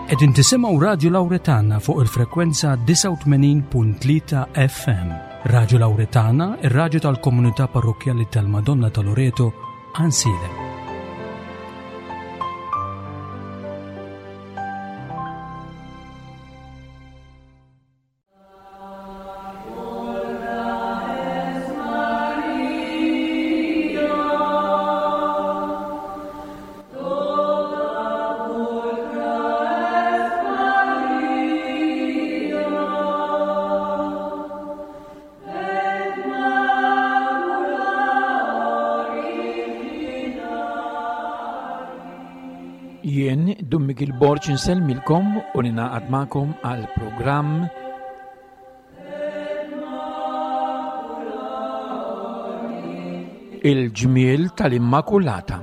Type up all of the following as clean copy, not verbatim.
Qegħdin tisimgħu Radju Lawretana fuq il-frekwenza 89.3 FM. Radju Lawretana, ir-radju tal-komunità parrokkjali tal-Madonna ta' Loreto, Ansiedem. Jien Dun Miguel Borg insellmilkom u ninaqad magħkom għal programm Il-ġmiel tal-Immakulata.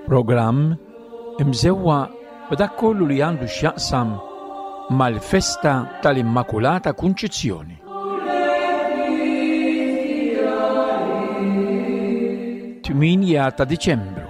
Programm imżewwa b'dak kollu li għandu x'jaqsam mal-festa tal-Immakulata Kunċizzjoni. 8 ta' Diċembru.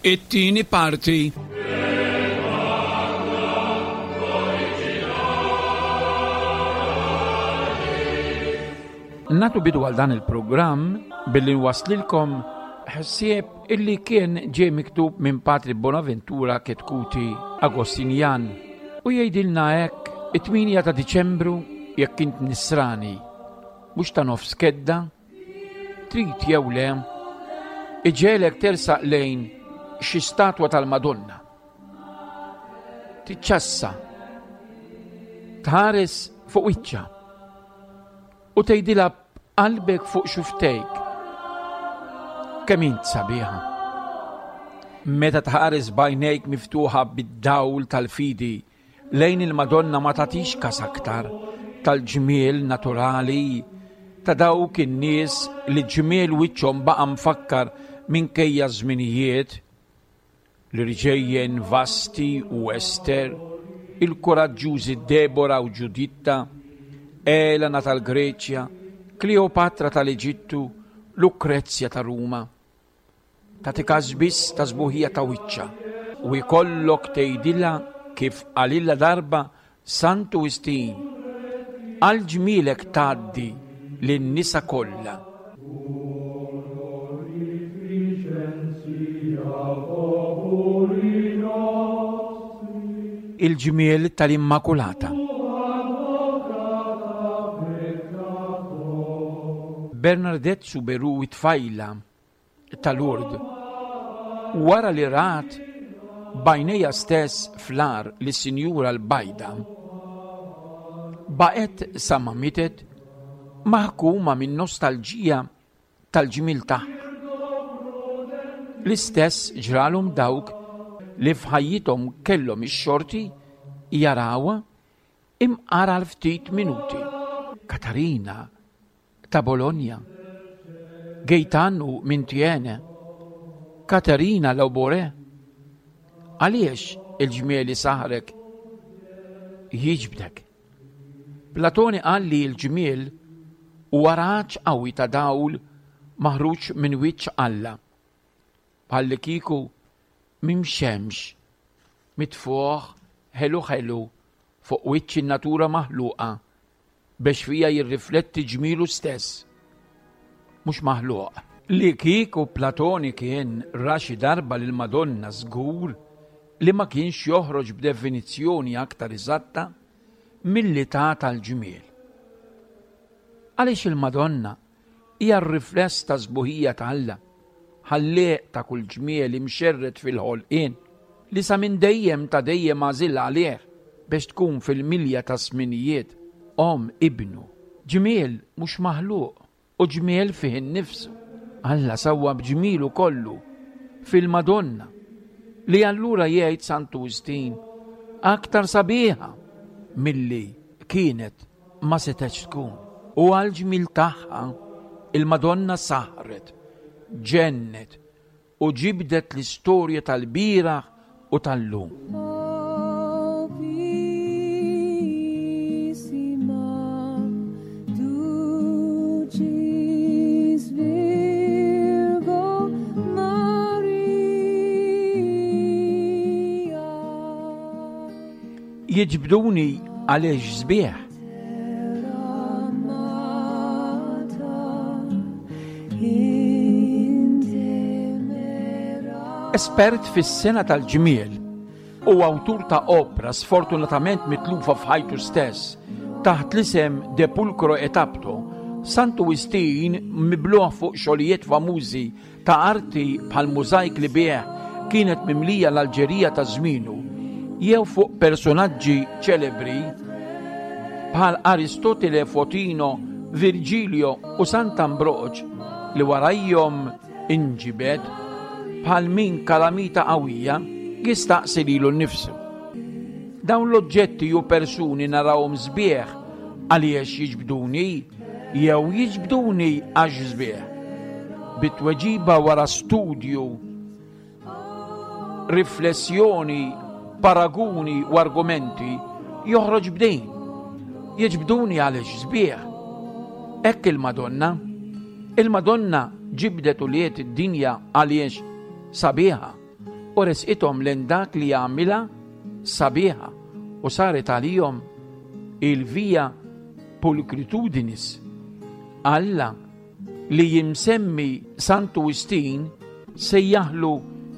It-tieni parti Natu bidu għal dan il-programm billi nwaslilkom ħsieb illi kien ġie miktub minn Patri Bonaventura Ketkuti Agostinjan u jgħidilna hekk it-8 ta' Diċembru jekk int nisrani mhux ta' nofs kedda Trid jew le, iġegħlek tersaq lejn xi statwa tal-Madonna. Tiċċassa, tħares fuq wiċċha u tgħidilha b'qalbek fuq xuftejk kemm int sabiħa. Meta tħares b'għajnejk miftuħa bid-dawl tal-fidi Lejn il-Madonna ma tagħtix kas aktar tal-ġmiel naturali ta' dawk in-nies li ġmiel wiċċhom baqa' mfakkar minkejja ż-żminijiet, l-irġejjen Vasti u Ester, il-kuraġġużi Debora u Ġuditta, Elena tal-Greċja, Kleopatra tal-Eġittu, Lukrezja ta' Ruma. Tagħti każ biss ta' sbuħija ta' wiċċha u jkollok tgħidilha kif qalilha darba Santu Wistin, Għal ġmielek tgħaddi lin-nisa kollha. Il-ġmiel tal-Immakulata. Bernardette Soubirous it-tfajla ta' Lourdes, wara li rat b'għajnejha stess fl-għar lis-Sinjura l-Bajda, baqgħet sa ma mietet maħkuma min-nostalġija tal-ġmiel tagħha. L-istess ġralhom dawk li f'ħajjithom kellhom ix-xorti jarawha imqar għal ftit minuti. Katarina ta' Bologna, Gaetano minn Thiene, Caterina Labouré. Għaliex il-ġmiel isaħħrek jiġbdek? Platoni qal li l-ġmiel huwa raġġ qawwi ta' dawl maħruġ minn wiċċ Alla, bħallikieku minn xemx mitfugħ ħelu ħelu fuq wiċċ in-natura maħluqa Bex fija jirrifletti ġmielu stess, mhux maħluq. Li kieku Platoni kien ra xi darba lill-Madonna żgur li ma kienx joħroġ b'definizzjoni aktar eżatta milli ta tal-ġmiel. Għaliex il-Madonna Hija r-rifless tas-sbuħija ta' Alla, Ħallieq ta' kull ġmiel imxerred fil-ħolqien, li sa minn dejjem ta' dejjem għażilha għalih biex tkun fil-milja taż-żminijiet Omm Ibnu. Ġmiel mhux maħluq u ġmiel fih innifsu. Alla sawwab ġmielu kollu fil-Madonna, li allura jgħid Santu Wistin, aktar sabiħa milli kienet ma setgħetx tkun. U għall-ġmiel tagħha, il-Madonna saħret, ġennet u ġibdet l-istorja tal-bieraħ u tal-lum. Jiġbduni għaliex sbieħ. Espert fis-sena tal-ġmiel u awtur ta' opra sfortunatament mitlufa f'ħajtu stess taħt l-isem De Pulcro et Apto, Santu Wistin mibluħ fuq xogħlijiet famużi ta' arti bħall-mużajk li bih kienet mimlija l-Alġerija ta' żmienu, jew fuq persunaġġi ċelebri bħal Aristotile Fotino, Virgilio u Sant'Ambroġ li warajhom inġibed bħal min kalamita qawwija jistaqsi lilu nnifsu. Dawn l-oġġetti u persuni narahom sbieħ għaliex jiġbduni jew jiġbduni għax sbieħ. Bi tweġiba wara studju, riflessjoni, paraguni u argumenti joħroġ b'din. Jiġbduni għaliex sbieħ. Hekk il-Madonna. Il-Madonna ġibdet ulied id-dinja għaliex sabiħa u resqithom lejn dak li jagħmilha sabiħa u saret għalihom il-via pulchritudinis. Alla li jimsemmi Santu Wistin sejjaħlu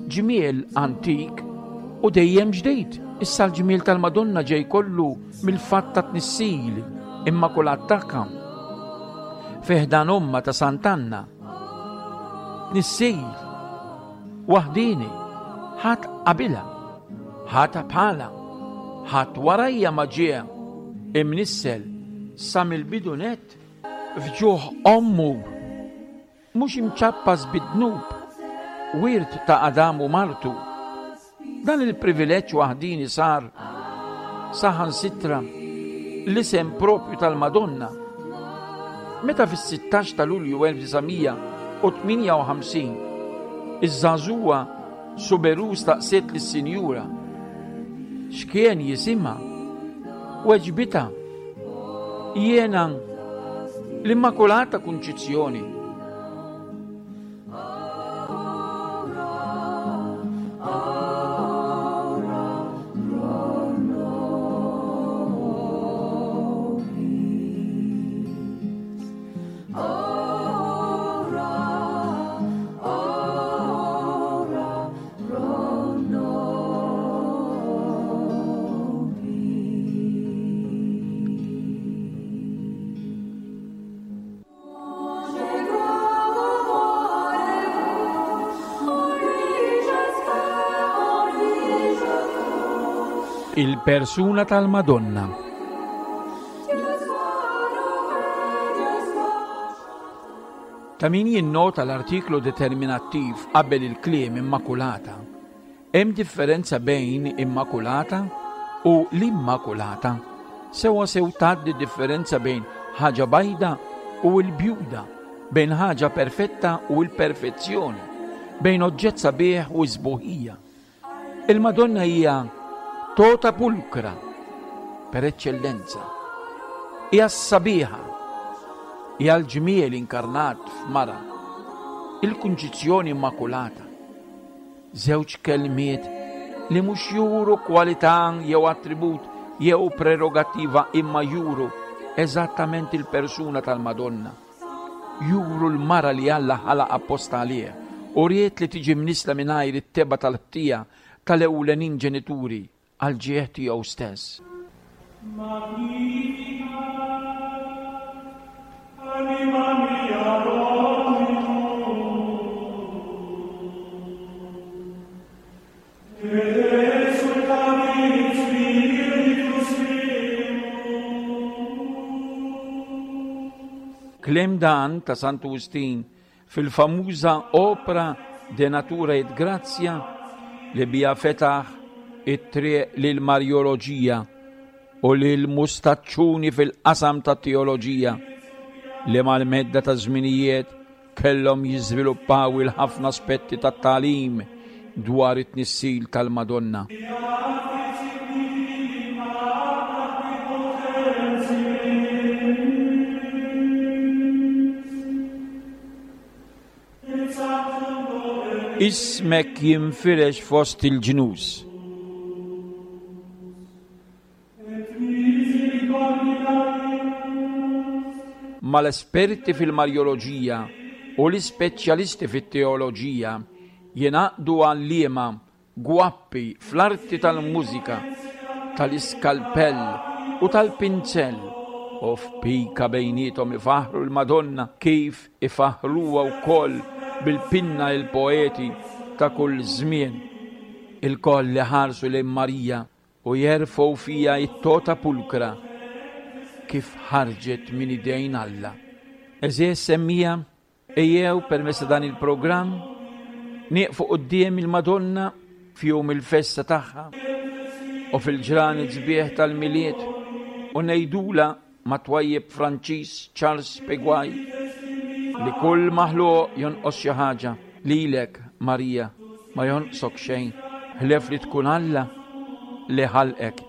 ġmiel antik u dejjem ġdid. Issa l-ġmiel tal-Madonna ġej kollu mill-fatt ta' tnissil immakulat tagħha. Fi ħdan ommha ta' Sant'Anna. Tnissil waħdieni, ħadd qabilha, ħadd bħalha, ħadd warajja ma ġie imnissel sa mill-bidu nett f'ġuħ ommu, mhux imċappas bid-dnub, wirt ta' Adam u martu. Dan il-privileġġ waħdieni sar saħansitra l-isem proprju tal-Madonna. Meta fis-16 ta' Lulju 1958 iż-żagħżugħa Suberu staqsiet lis-Sinjura x'kien jisimha, weġbitha, Jiena l-Immakulata Kunċizzjoni. Il-persuna tal-Madonna. Ta' min jinnota l-artiklu determinattiv qabel il-kliem Immakulata. Hemm differenza bejn Immakulata u l-Immakulata. Sewwa sew tgħaddi differenza bejn ħaġa bajda u l-bjuda, bejn ħaġa perfetta u l-perfezzjoni, bejn oġġett sabiħ u s-sbuħija. Il-Madonna hija tota pulcra per eċċellenza. Hija s-sabiħa, hija l-ġmiel inkarnat f'mara, il-Kunċizzjoni Immakulata. Żewġ kelmiet li mhux juru kwalità jew attribut jew prerogattiva imma juru eżattament il-persuna tal-Madonna. Juru l-mara li Alla ħalaq apposta għalih u ried li tiġi mnissla mingħajr it-tebgħa tal-ħtija tal-ewlenin ġenituri għall-ġieħ tiegħu stess. Kliem dan ta' Santu Wistin Fil-famuża opra De Natura et Gratia li biha fetaħ it-triq lill-Marjoloġija u lill-mustaċċuni fil-qasam tat-teoloġija. li mal-medda ta' żminijiet kellhom jiżviluppaw il-ħafna aspetti tat-tagħlim dwar it-tnissil tal-Madonna. Ismek jinfirex fost il-ġnus. Mal-esperti fil-Marjoloġija u l-ispeċjalisti fit-teoloġija jingħaqdu għalliema gwappi fl-arti tal-mużika, tal-iskalpell u tal-pinzell u f'pika bejniethom ifaħħru l-Madonna kif ifaħħruha wkoll bil-pinna il-poeti ta' kull żmien. Ilkoll iħarsu lejn Marija U jerfgħu fiha t-tota pulkra kif ħarġet minn idejn Alla. Għeżież semmiegħa, ejjew permezz ta' dan il-programm nieqfu quddiem il-Madonna f'jum il-festa tagħha u fil-ġranet sbieħ tal-Milied u ngħidulha mat-twajjeb Franċiż Charles Peguay li kull maħluq jonqos xi ħaġa, lilek, Marija, ma jonqsok xejn ħlief li tkun Alla li ħalqek.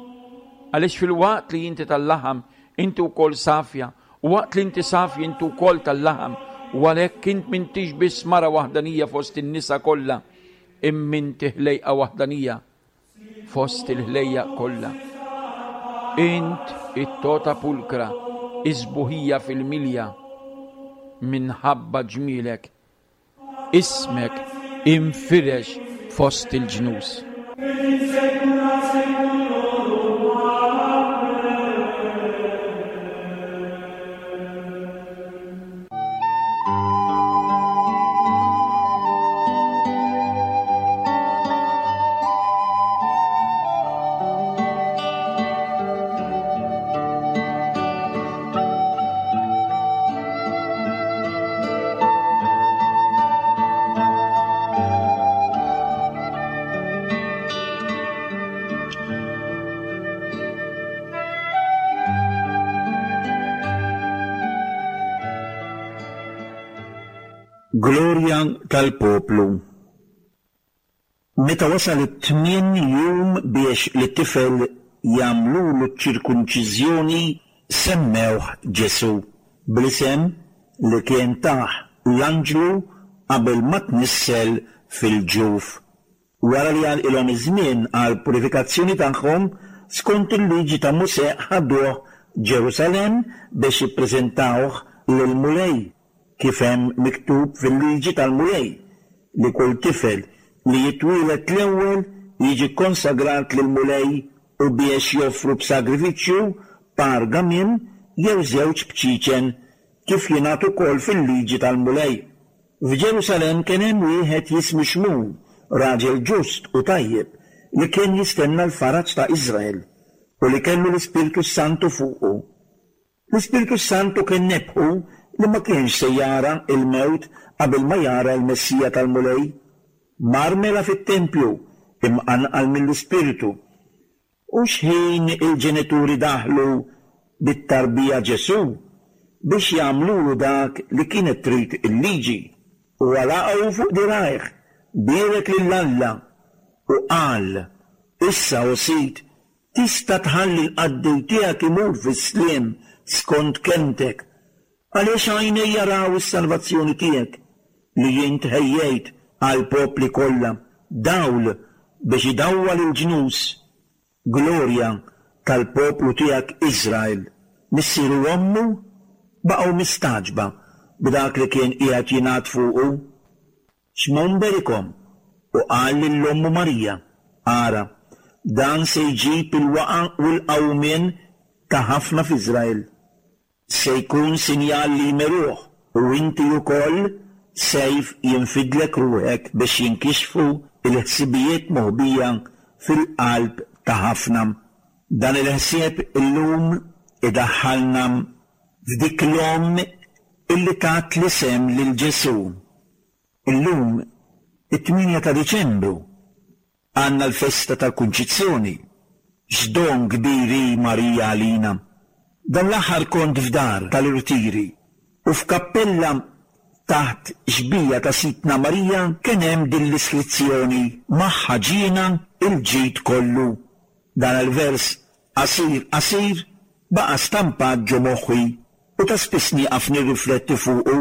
Għaliex filwaqt li inti tal-laħam, inti wkoll safja, u waqt li inti safja inti wkoll tal-laħam, u għalhekk int m'intix biss mara waħdanija fost in-nisa kollha, imma inti ħlejqa waħdanija fost il-ħlejjaq kollha. Int it-tota pulkra, is-sbuħija fil-milja, minħabba ġmielek, ismek infirex fost il-ġnus. Glorja tal-poplu. Meta wasal it-tmien jum biex lit-tifel jagħmlulu ċ-ċirkunċiżjoni semmewh Ġesù, bl-isem li kien tah l-anġlu qabel ma tnissel fil-ġuf. Wara li għalqilhom iż-żmien għall-purifikazzjoni tagħhom, skont il-Liġi ta' Mosè ħaduh Ġerusalemm biex jippreżentawh lill-Mulej, kif hemm miktub fil-Liġi tal-Mulej, li kull tifel li jitwieled l-ewwel jiġi kkonsagrat lill-Mulej u biex joffru b'sagrifiċċju par gamiem jew żewġ bċiċen, kif jingħad ukoll fil-Liġi tal-Mulej. F'Ġerusalemm kien hemm wieħed jismu Xmun, raġel ġust u tajjeb, li kien jistenna l-faraġ ta' Iżrael, u li kellu l-Ispirtu s-Santu fuqu. L-Ispirtu s-Santu kien nebbħu li ma kienx se jara l-mewt qabel ma jara l-Messija tal-Mulej. Mar mela fit-tempju, imqanqal mill-Ispirtu. U xħin il-ġenituri daħlu bit-tarbija Ġesù biex jagħmlulu dak li kienet trid il-Liġi, huwa laqgħu fuq dirgħajh, bierek lil Alla, u qal, Issa, o Sid, tista' tħalli l-qaddej tiegħek imur fis-sliem skont kelmtek, Għaliex għajnejja raw is-salvazzjoni tiegħek, li int ħejjejt għall-popli kollha, dawl biex idawwal il-ġnus, glorja tal-poplu tiegħek Iżrael. Missieru u ommu baqgħu mistagħġba b'dak li kien qiegħed jingħad fuqu. Xmun berikhom u qal lil ommu Marija, Ara, dan se jġib il-waqgħa u l-qawmien ta' ħafna f'Iżrael. Se jkun sinjal li jmeruh, u inti ukoll, sejf jinfidlek ruħek biex jinkixfu l-ħsibijiet moħbija fil-qalb ta' ħafna. Dan il-ħsieb illum idaħħalna f'dik l-omm illi tat l-isem lil Ġesù. Illum, it-tmienja ta' Diċembru, Għandna l-festa tal-Kunċizzjoni. X'don kbir hi Marija għalina! Dan l-aħħar kont f'dar tal-irtiri. U f'kappella taħt xbieha ta' Sidtna Marija kien hemm din l-iskrizzjoni, Magħha ġiena l-ġid kollu. Dan il-vers qasir qasir baqa' stampat ġo moħħi u ta' spiss nieqaf nirrifletti fuqu.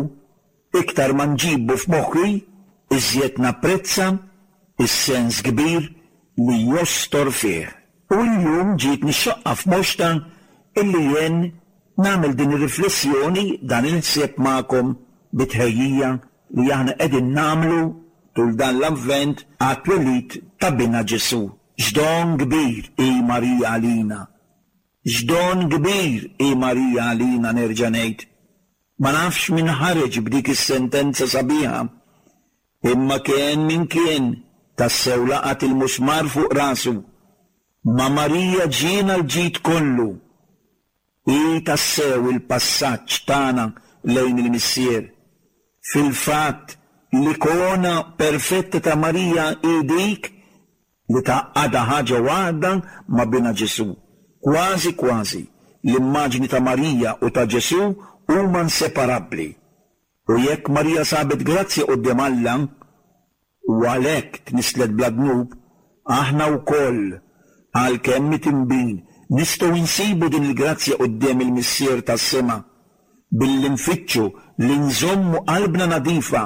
Iktar ma nġibu f'moħħi, iżjed napprezza s-sens kbir li jostor fih. U llum ġietni x-xoqqa f'moxtha illi jien nagħmel din ir-riflessjoni, dan il-ħsieb magħkom bi tħejjija li aħna qegħdin nagħmlu tul dan l-Avvent għat-twelid ta' Binha Ġesù. X'don kbir hi Marija għalina! X'don kbir hi Marija għalina nerġa' ngħid. Ma nafx min ħareġ b'dik is-sentenza sabiħa, imma kien min kien, tassew laqat il-musmar fuq rasu. Ma' Marija ġiena l-ġid kollu. Hi tassew il-passaġġ tagħna lejn il-Missier. Fil-fatt, l-ikona perfetta ta' Marija hi dik li tgħaqqadha ħaġa waħda ma' Binha Ġesù. Kważi kważi, l-immaġni ta' Marija u ta' Ġesù huma inseparabbli. U jekk Marija sabet grazzja quddiem Alla, u għalhekk tnisslet bla dnub, aħna wkoll, għalkemm mitinbin, nistgħu nsibu din il-grazzja quddiem il-Missier tas-sema, billi nfittxu li nżommu qalbna nadifa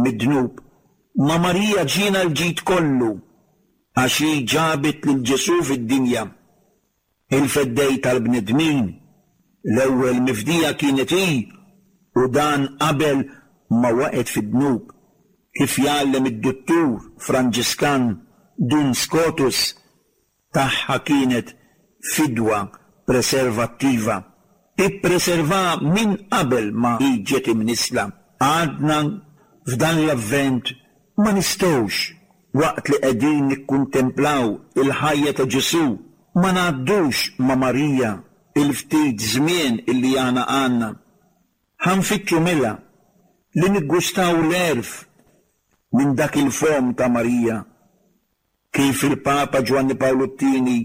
mid-dnub Ma' Marija ġiena l-ġid kollu, għax hi ġabet lil Ġesù fid-dinja, il-Feddej tal-bnedmin. L-ewwel mifdija kienet hi, u dan qabel ma waqgħet fid-dnub, kif jgħallem id-duttur Franġiskan Dun Scotus. Tagħha kienet fidwa preservattiva. Ippreservaha minn qabel ma hi ġiet imnissla. Għadna f'dan l-Avvent ma nistgħux, waqt li qegħdin nikkuntemplaw il-ħajja ta' Ġesù, ma ngħaddux ma' Marija il-ftit żmien illi aħna għandna. Ħa nfittxu mela li niggustaw l-għerf minn dak il-fomm ta' Marija. Kif il-Papa Ġwanni Pawlu t-Tieni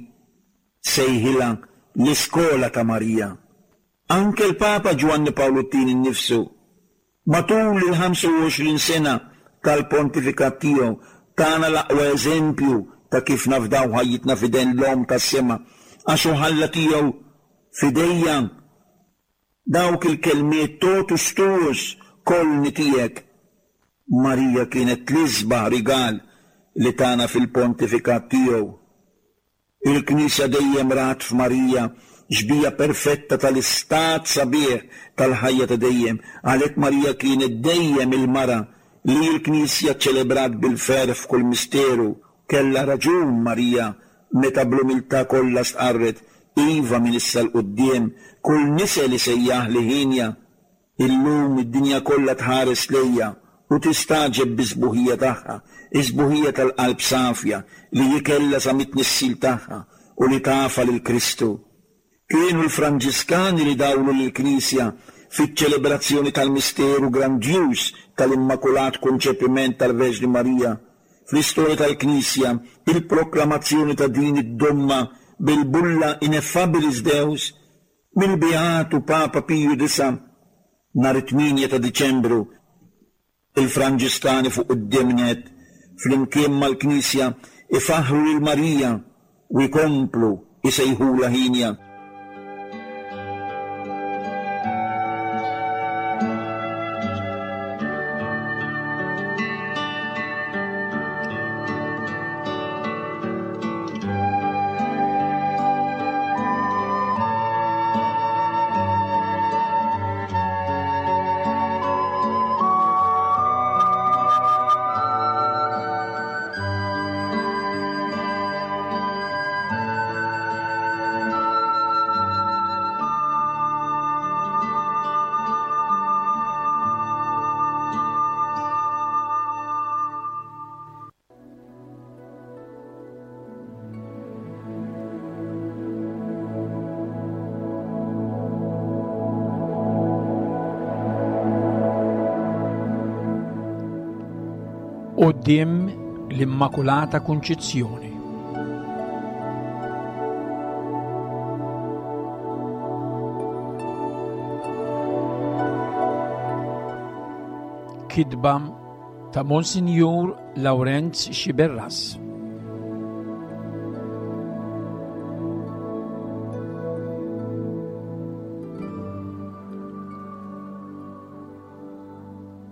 sejħilha l-iskola ta' Marija. Anke l-Papa Ġwanni Pawlu t-Tieni nnifsu, matul il-25 sena tal-pontifikat tiegħu, tana l-aqwa eżempju ta' kif nafdaw ħajjitna f'idejn l-Omm tas-Sema, għax hu ħalla tiegħu f'idejja Dawk il-kelmiet totus tuus, kollni tiegħek. Marija kienet l-isbaħ rigal li tana fil-pontifikat tiegħu. Il-Knisja dejjem rat f'Marija xbieha perfetta tal-istat sabiħ tal-ħajja ta' dejjem, għalhekk Marija kienet dejjem il-mara li l-Knisja ċċelebrat bil-ferħ f'kull misteru. Kellha raġun Marija meta bl-umiltà kollha stqarret, Iva minn issa 'l quddiem, kull nisel isejjaħli hienja. Illum id-dinja kollha tħares lejja u tistagħġeb bis-sbuħija tagħha, is-sbuħija tal-qalb safja li hi kellha sa mit-tnissil tagħha u li tafha lil Kristu. Kienu l-Franġiskani li dawlu lill-Knisja fiċ-ċelebrazzjoni tal-misteru grandjuż tal-Immakulat Konċepiment tal-Verġni Marija. Fl-istorja tal-Knisja, il-proklamazzjoni ta' din id-domma bil-bulla Ineffabilis Deus mill-Beatu Papa Piju Disa' nhar it-tmienja ta' Diċembru, Il-Franġiskani fuq quddiem nett, flimkien mal-Knisja, ifaħħru lil Marija u jkomplu jsejħulha hienja. Quddiem l-Immakulata Kunċizzjoni. Kitba ta' Monsinjur Lawrenz Sciberras.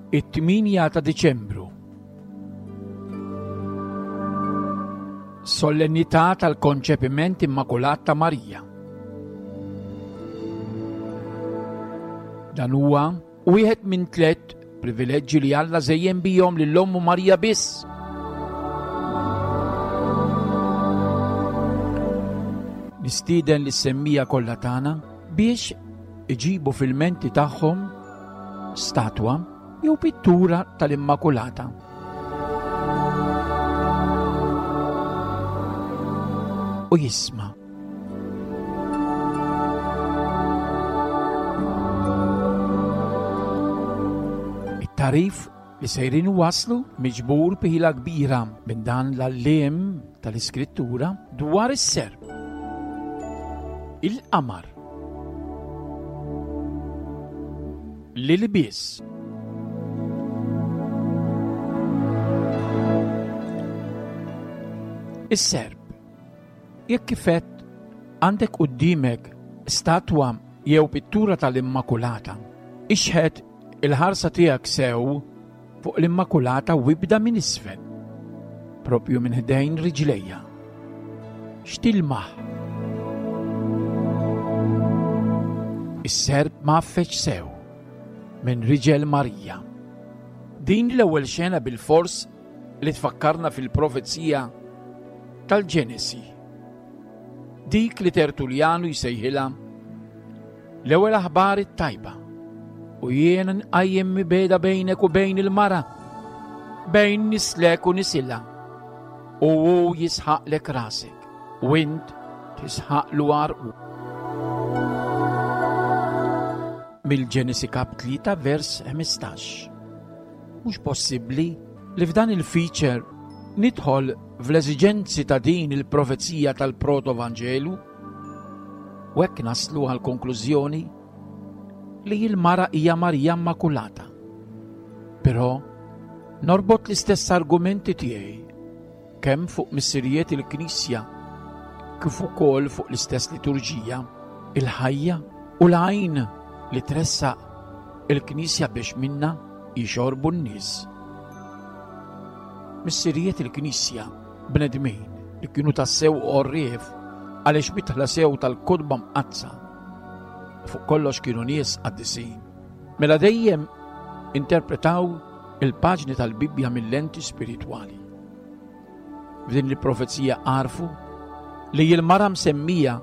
It-8 ta' Diċembru. Solennità tal-Konċepiment Immakulat ta' Marija. Dan huwa wieħed minn tlett privileġġi li Alla żejjen bihom lil ommu Marija biss. Nistieden lis-semmija kollha tagħna biex iġibu fil-menti tagħhom statwa jew pittura tal-Immakulata. U jisma'. It-tarif li sejrin waslu miġbur b'ħila kbira minn dan l-għalliem tal-Iskrittura dwar is-serp. Il-qamar. L-ilbies. Is-serp. Jekk kif għedt għandek quddiemek statwa jew pittura tal-Immakulata, ixħet il-ħarsa tiegħek sew fuq l-Immakulata u ibda minn isfel, propju minn ħdejn riġlejja. X'tilmaħ? Is-serp mgħaffeġ sew minn riġel Marija. Din l-ewwel xena bilfors li tfakkarna fil-profezija tal-Ġenesi. Dik li Tertulljanu jsejħilha l-ewwel aħbar it-tajba. U jien nqajjem mibegħda bejnek u bejn il-mara, bejn nislek u nisilha. U hu jisħaqlek rasek, u int tisħaqlu għarqu. Mill-Ġenesi kap 3 vers 15. Mhux possibbli li f'dan il-feature nidħol fl-eżiġenzi ta' din il-profezija tal-Proto-Vanġelu? U hekk naslu għall-konklużjoni li l-mara hija Marija Immakulata. Però norbot l-istess argumenti tiegħi kemm fuq missirijiet il-Knisja kif ukoll fuq l-istess liturġija, il-ħajja u l-għajn li tressaq il-Knisja biex minna jixorbu n-nies. Missirijiet il-Knisja bnedmin li kienu tassew għorrief għaliex mitħla sew tal-kotba mqaddsa. Fuq kollox kienu nies qaddisin. Mela dejjem interpretaw il-paġni tal-Bibbja mill-lenti spiritwali. F'din il-profezija għarfu li l-mara msemmija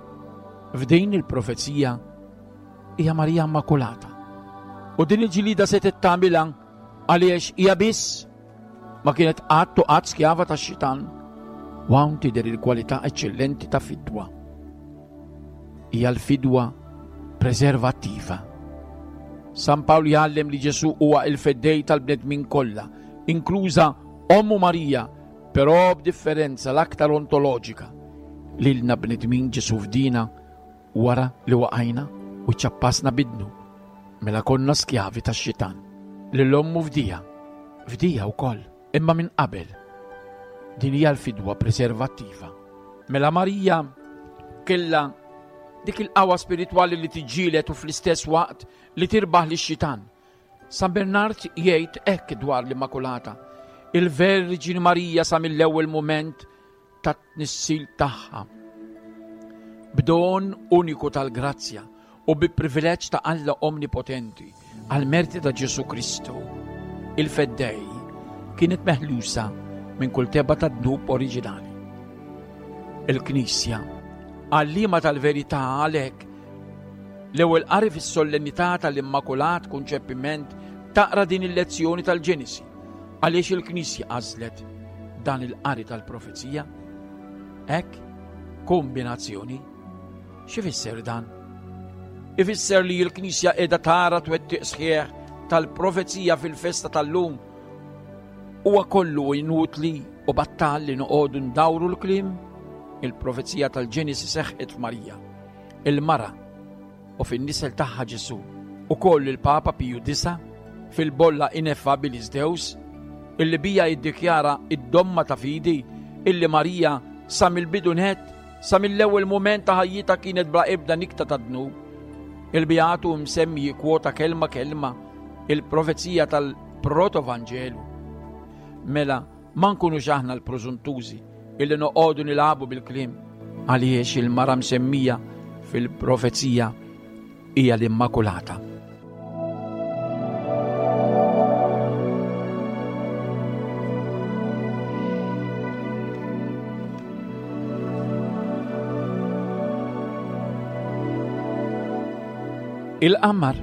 f'din il-profezija hija Marija Immakulata. U din il-ġilida se tagħmilha għaliex hija biss Ma kienet qatt u qatt skjava tax-xitan. U hawn tidher il-kwalità eċċellenti ta' fidwa. Hija l-fidwa preservattiva. San Pawl jgħallem li Ġesù huwa il-feddej tal-bnedmin kollha, inkluża ommu Marija, però b'differenza l-aktar ontoloġika. Lilna bnedmin Ġesù fdina Wara li waqajna u ċċappasna bid-dnub, mela konna skjavi tax-xitan. Lil ommu fdieha, fdieha wkoll, imma minn qabel. Din hija l-fidwa preservattiva. Mela Marija kellha dik il-qawwa spiritwali li tiġġieled u fl-istess waqt li tirbaħ lix-xitan. San Bernard jgħid hekk dwar l-Immakulata, Il-Verġini Marija sa mill-ewwel mument tat-tnissil tagħha. B'don uniku tal-grazzja u bi privileġġ ta' Alla Omnipotenti għall-merti ta' Ġesù Kristu, il-Feddej kienet meħlusa minn kull tebgħa ta' dnub oriġinali. Il-Knisja, għalliema tal-verità għalhekk, l-ewwel qari fis-sollennità tal-Immakulat Kunċepiment taqra din il-lezzjoni tal-Ġenesi. Għaliex il-Knisja għażlet dan il-qari tal-profezija? Hekk, kombinazzjoni. X'ifisser dan? Ifisser li l-Knisja qiegħda tara twettiq sħiħ tal-profezija fil-festa tal-lum. Huwa kollu inutli u battal li noqogħdu ndawru l-kliem? Il-profezija tal-Ġenesi seħħet f'Marija, il-mara u fin-nisel tagħha Ġesù. Ukoll il-Papa Piju disa' fil-bolla Ineffabilis Deus, illi bija jiddikjara id-domma ta' fidi illi Marija sa mill-bidu nett, sa mill-ewwel mument ta' ħajjitha kienet bla ebda nikta ta' dnub. Il-Beatu msemmi jikkwota kelma kelma il-profezija tal-Protovanġelu. Mela, ma nkunux aħna l-prożuntużi illi noqogħdu nilagħbu bil-kliem għaliex il-mara msemmija fil-profezija hija l-Immakulata. Il-qamar.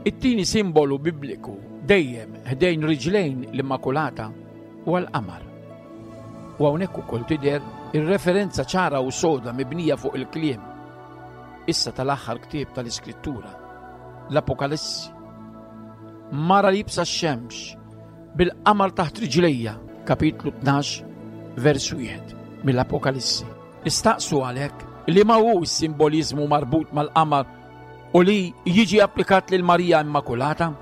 It-tieni simbolu bibliku dejjem ħdejn riġlejn l-Immakulata huwa l-qamar. U hawnhekk ukoll tidher ir-referenza ċara u soda mibnija fuq il-kliem issa tal-aħħar ktieb tal-Iskrittura, l-Apokalissi. Mara libsa x-xemx bil-qamar taħt riġlejja, kapitlu 12, vers 1 mill-Apokalissi. Nistaqsu għalhekk li ma hu s-simboliżmu marbut mal-qamar u li jiġi applikat lil Marija Immakulata?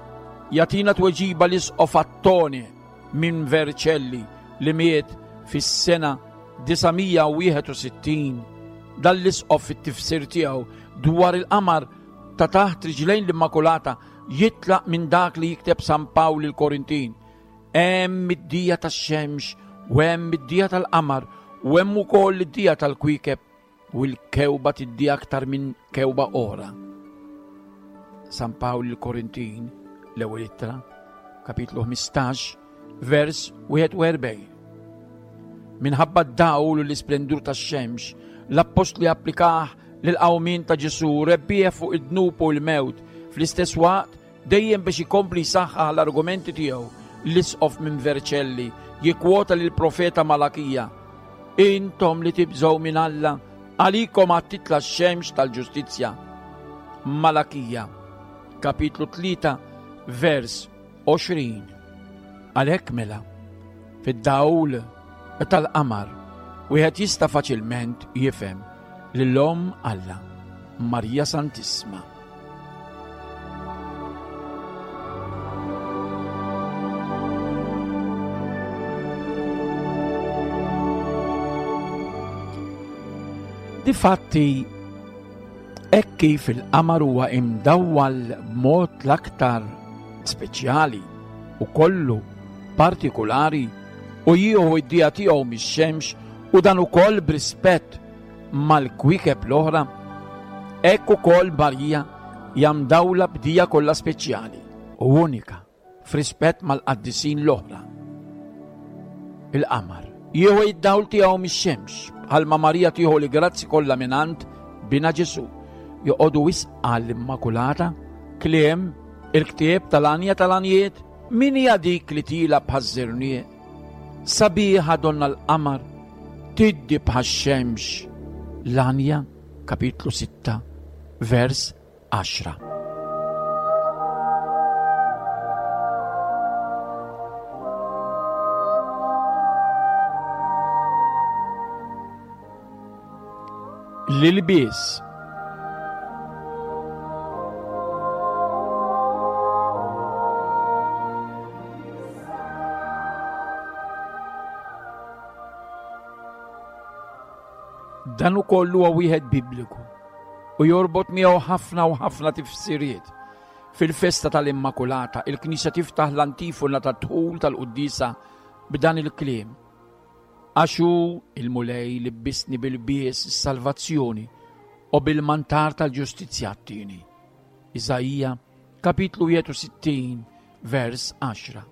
Jagħtina tweġiba l-Isqof Attone minn Vercelli li miet fis-sena 961. Dan l-isqof fit-tifsir tiegħu dwar il-qamar ta' taħt riġlejn l-Immakulata jitlaq minn dak li jikteb San Pawl il-Korintin. Hemm id-dija tax-xemx u hemm id-dija tal-qamar u hemm ukoll id-dija tal-kwiekeb u l-kewba tiddi aktar minn kewba oħra. San Pawl il-Korintin, l-ewwel ittra, kapitlu 15, vers 41. Minħabba d-dawl u l-isplendur tax-xemx, l-appostli applikah lil qawmien ta' Ġesu rebbieħ fuq id-dnub u l-mewt fl-istess waqt Dejjem biex ikompli jsaħħaħ l-argumenti tiegħu, l-Isqof minn Vercelli jikkwota lill-profeta Malakija, Intom li tibżgħu minn Alla, għalikom għad titla' x-xemx tal-ġustizzja. Malakija, kapitlu 3, vers 20. Għalhekk mela, fid-dawl tal-qamar, wieħed jista' faċilment jifhem lil Omm Alla, Marija Santissma. Difatti, hekk kif il-qamar huwa imdawwal b'mod l-aktar speċjali u kollu partikulari u jieħu id-dija tiegħu mix-xemx u dan ukoll b'rispett mal-kwiekeb l-oħra, hekk ukoll Marija hija mdawla b'dija kollha speċjali u unika f'rispett mal-qaddisin l-oħra. Il-qamar jieħu id-dawl tiegħu mix-xemx bħalma Marija tieħu l-grazzi kollha mingħand bina Ġesu. Joqogħdu wisq għall-Immakulata, kliem il-ktieb tal-għanja tal-għanjiet, min hija dik li tila bħaż-żerniq Sabiħa donna l-qamar, tiddi bħax-xemx. L-Għanja, kapitlu 6, vers 10. L-ilbies Dan ukoll huwa wieħed bibliku u jorbot miegħu ħafna u ħafna tifsiriet. Fil-festa tal-Immakulata, il-Knisja tiftaħ l-antifona tad-dħul tal-quddiesa b'dan il-kliem. Għax hu il-Mulej libbisni bil-bies is-salvazzjoni u bil-mantar tal-ġustizzja għattini. Iżaija, kapitlu 61, vers 10.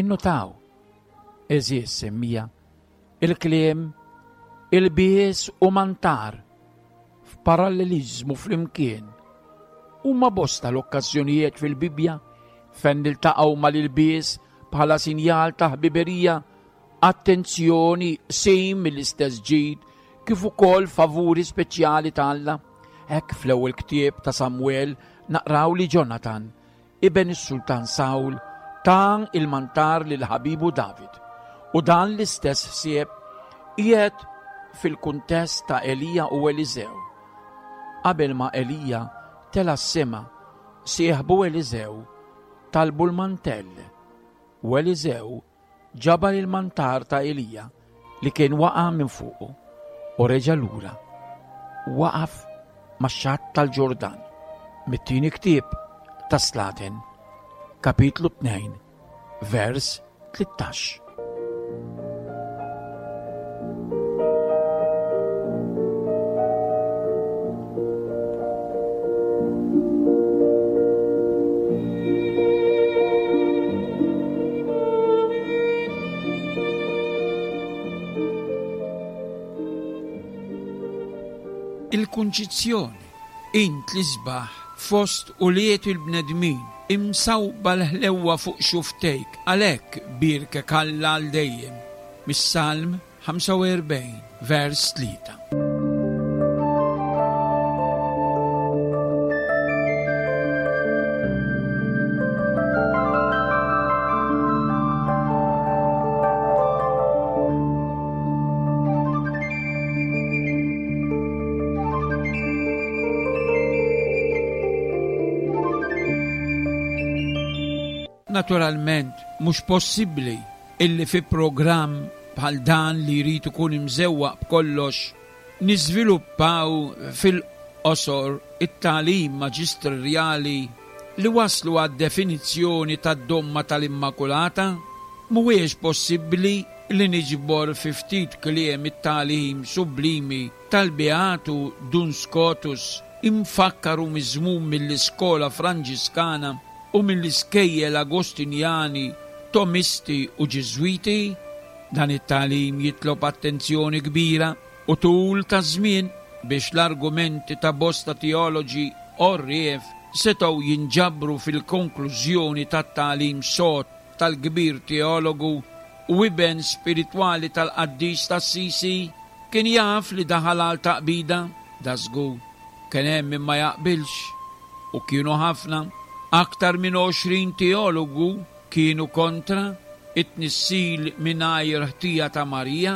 Innutaw, eżies semmija, il-kliem il-bies u mantar f'paralleliżmu flimkien. Huma bosta l-okkażjonijiet fil-Bibbja fejn niltaqgħu mal-ilbies bħala sinjal ta' ħbiberija, attenzjoni, qsim mill-istess ġid, kif ukoll favuri speċjali ta' Alla. Hekk fl-ewwel ktieb ta' Samwel naqraw li Ġonatan, iben is-sultan Sawl, ta il-mantar lil ħabibu David. U dan l-istess ħsieb qiegħed fil-kuntest ta' Elija u Eliżew. Qabel ma Elija tela' s-sema, sieħbu Eliżew talbu l-mantell, u Eliżew ġabar il-mantar ta' Elija li kien waqa' minn fuqu u reġa' lura. Waqaf max-xatt tal-Ġordan. Mit-tieni ktieb ta' Slaten, kapitlu 2, vers 13. Il-Kunċizzjoni, int l-isbaħ fost ulied il-bnedmin, imsawba l-ħlewwa fuq xufftejk, għalhekk bierkek Alla għal dejjem. Mis-Salm 45, vers 3. Naturalment, mhux possibbli illi fi programm bħal dan li jrid ikun imżewwaq b'kollox, niżviluppaw fil-qosor it-tagħlim maġistrjali li wasslu għad-definizzjoni tad-domma tal-Immakulata. Mhuwiex possibbli li niġbor fi ftit kliem it-tagħlim sublimi tal-Beatu Dun Scotus imfakkar u miżmum mill-iskola Franġiskana u mill-iskejjel Agostinjani, Tomisti u Ġiżwiti. Dan it-tagħlim jitlob attenzjoni kbira u tul ta' żmien biex l-argumenti ta' bosta teoloġi għorrief setgħu jinġabru fil-konklużjoni tat-tagħlim sod tal-kbir teologu u iben spiritwali tal-qaddis t'Assisi. Kien jaf li daħal għal taqbida? Dażgur, kien hemm min ma jaqbilx. U kienu ħafna. Aktar minn 20 teologu kienu kontra it-tnissil mingħajr ħtija ta' Marija.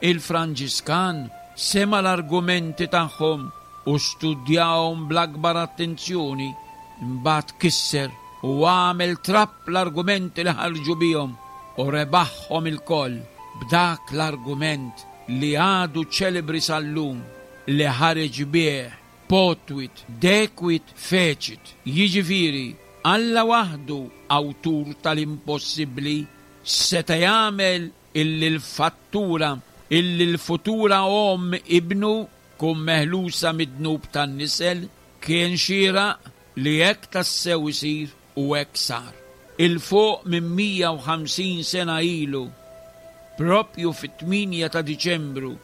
Il-Franġiskan sema' l-argumenti tagħhom u studjahom bl-akbar attenzjoni. Imbagħad kisser u għamel trab l-argumenti li ħarġu bihom u rebaħhom ilkoll b'dak l-argument li għadu ċelebri sal-lum li ħareġ bih Potuit, decuit, fecit, jiġifieri Alla waħdu awtur tal-impossibbli seta' jagħmel illi l-fattura illi l-futura omm ibnu tkun meħlusa mid-dnub tan-nisel, kien xieraq li hekk tassew isir u hekk sar. 'Il fuq minn 150 sena ilu, proprju fit-tmienja ta' Diċembru,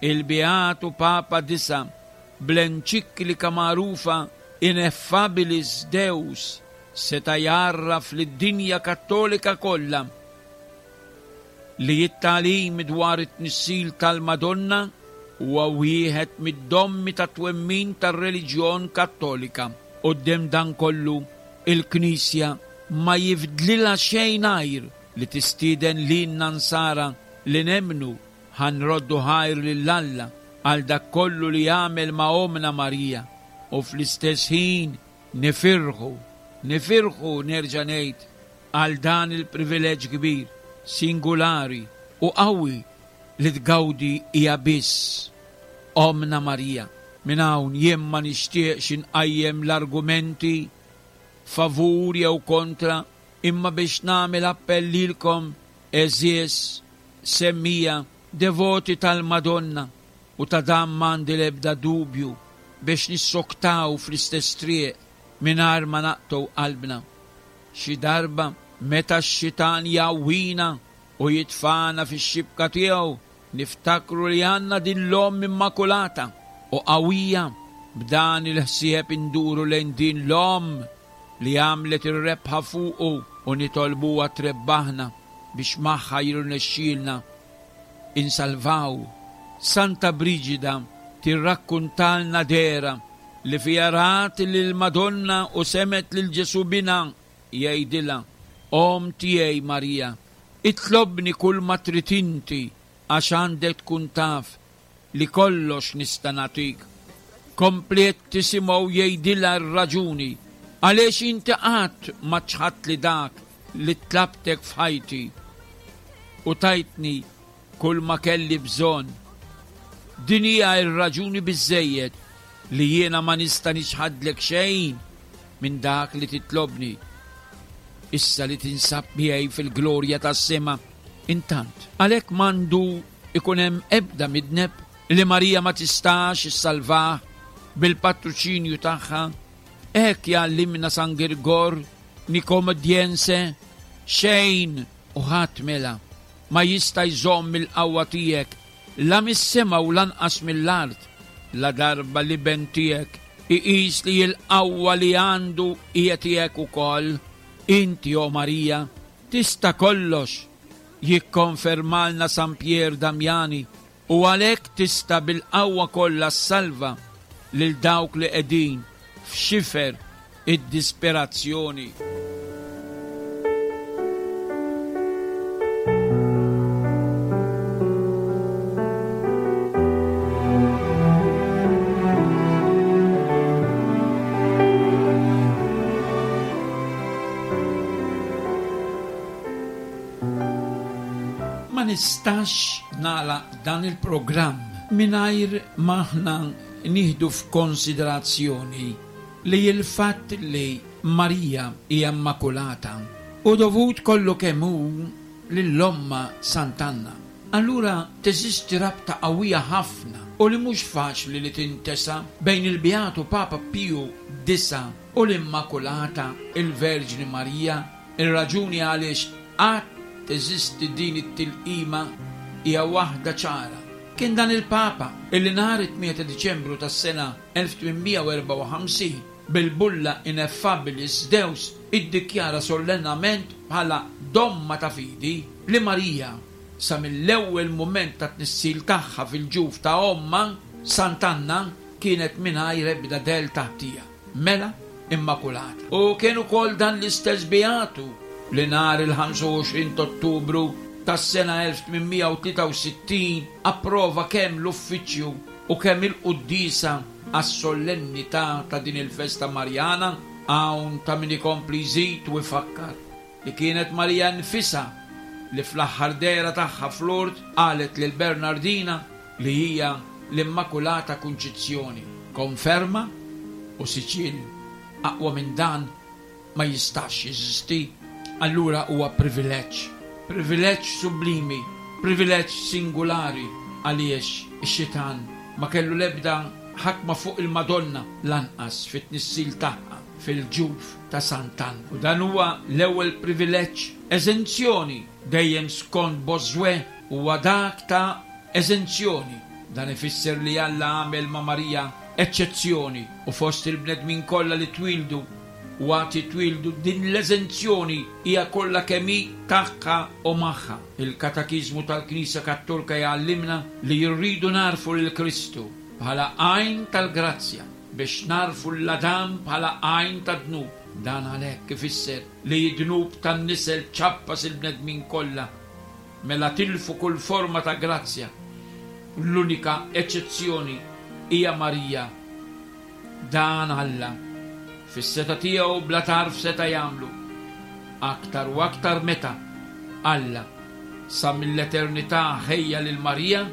Il-Beatu Papa Disa' bl-enċiklika magħrufa Ineffabilis Deus seta' jgħarraf lid-dinja Kattolika kollha li t-tagħlim dwar it-tnissil tal-Madonna huwa wieħed mid-dommi tat-twemmin tar-reliġjon Kattolika. Quddiem dan kollu, il-Knisja ma jifdlilha xejn għajr li tistieden lilna Nsara li nemmnu Ħa nroddu ħajr lil Alla għal dak kollu li għamel ma' Ommna Marija u fl-istess ħin nifirħu, nifirħu nerġa' ngħid, għal dan il-privileġġ kbir, singulari u qawwi li tgawdi hija biss Ommna Marija. Minn hawn jien ma nixtieqx inqajjem l-argumenti favur jew kontra imma biex nagħmel appell lilkom għeżież Semmija, devoti tal-Madonna, u ta' dan m'għandi l-ebda dubju, biex nissoktaw fl-istess triq mingħajr ma naqtgħu qalbna. Xi darba, meta x-xitan jgħawwina u jitfagħna fix-xibka tiegħu, niftakru li għandna din l-Omm Immakulata u qawwija. B'dan il-ħsieb induru lejn din l-Omm li għamlet ir-rebħa fuqu u nitolbuha trebbaħna. biex magħha jirnexxielna insalvaw. Santa Briġida tirrakkuntalna dehra li fiha rat lill-Madonna u semgħet lil Ġesù Binha jgħidilha, Omm tiegħi Marija, itlobni kulma trid inti għax għandek tkun taf li kollox nista' nagħtik. Kompliet tisimgħu jgħidilha r-raġuni għaliex inti qatt ma ċħadtli dak li tlabtek f'ħajti u tajtni kull ma kelli bżonn. Din hija r-raġuni biżżejjed li jiena ma nista' niċħadlek xejn minn dak li titlobni. Issa li tinsab miegħi fil-glorja tas-sema, intant, għalhekk m'għandu jkun hemm ebda midneb li Marija ma tistax issalvah bil-patruċinju tagħha. Hekk jgħallimna San Girgor Nikomedjense, Xejn u ħadd mela ma jista' jżomm il-qawwa tiegħek la mis-sema u lanqas mill-art, ladarba l-Iben tiegħek iqis li l-qawwa li għandu hija tiegħek ukoll. Inti, o Marija, tista' kollox, jikkonfermalna San Pier Damiani, u għalhekk tista' bil-qawwa kollha ssalva lil dawk li qegħdin f'xifer id-disperazzjoni. Ma nistax nagħlaq dan il-programm mingħajr ma aħna nieħdu f'konsiderazzjoni li l-fatt li Marija hija Immakulata hu dovut kollu kemm hu lil Ommha Sant'Anna. Allura teżisti rabta qawwija ħafna u li mhux faċli li tintesa bejn il-Beatu Papa Piju Disa' u l-Immakulata il-Verġni Marija. Ir-raġuni għaliex għad teżisti din it-tilqima hija waħda ċara. Kien dan il-Papa illi nhar it-8 ta' Diċembru tas-sena 1854, bil-bulla Ineffabilis Deus iddikjara sollennament bħala domma ta' fidi li Marija, sa mill-ewwel mument tat-tnissil tagħha fil-ġuf ta' ommha, Sant'Anna, kienet mingħajr ebda dell ta' ħtija. Mela Immakulata. U kien ukoll dan l-istess Beatu li nhar il-25 t'Ottubru tas-sena 1863 approva kemm l-uffiċċju u kemm il-quddiesa għas-sollennità ta' din il-festa Marjana. Hawn ta' min ikompli jżid u jfakkar li kienet Marija nfisha li fl-aħħar dehra tagħha f'Lourdes qalet lil Bernardina li hija l-Immakulata Kunċizzjoni. Konferma u siġill aqwa minn dan ma jistax jeżisti. Allura huwa privileġġ, privileġġ sublimi, privileġġ singulari għaliex ix-xitan ma kellu l-ebda ħakma fuq il-Madonna lanqas fit-tnissil tagħha fil-ġuf ta' Sant'Anna. U dan huwa l-ewwel privileġġ, eżenzjoni, dejjem skont Bossuet, huwa dak ta' eżenzjoni. Dan ifisser li Alla għamel ma' Marija eċċezzjoni u fost il-bnedmin kollha li twieldu u għad jitwieldu din l-eżenzjoni hija kollha kemm hi tagħha u magħha. Il-Katakiżmu tal-Knisja Kattolka jgħallimna li rridu nagħrfu lil Kristu bħala għajn tal-grazzja biex nagħrfu 'l Adam bħala għajn tad-dnub. Dan għalhekk ifisser li d-dnub tan-nisel ċappas il-bnedmin kollha Mela tilfu kull forma ta' grazzja. L-unika eċċezzjoni hija Marija. Dan Alla, fis-setgħa tiegħu bla tarf seta' jagħmlu, aktar u aktar meta Alla, sa mill-eternità ħejja lil Marija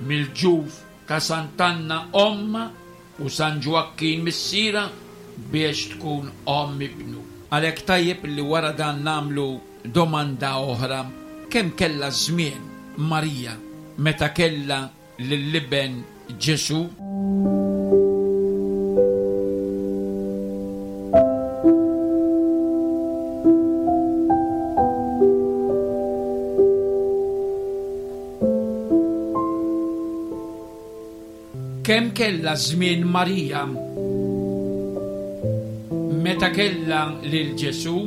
mill-ġuf ta' Sant'Anna ommha u San Ġwakkin missierha biex tkun omm ibnu. Għalhekk tajjeb li wara dan nagħmlu domanda oħra, kemm kellha żmien Marija meta kellha lill-iben Ġesù? Kemm kellha żmien Marija meta kellha lil Ġesù?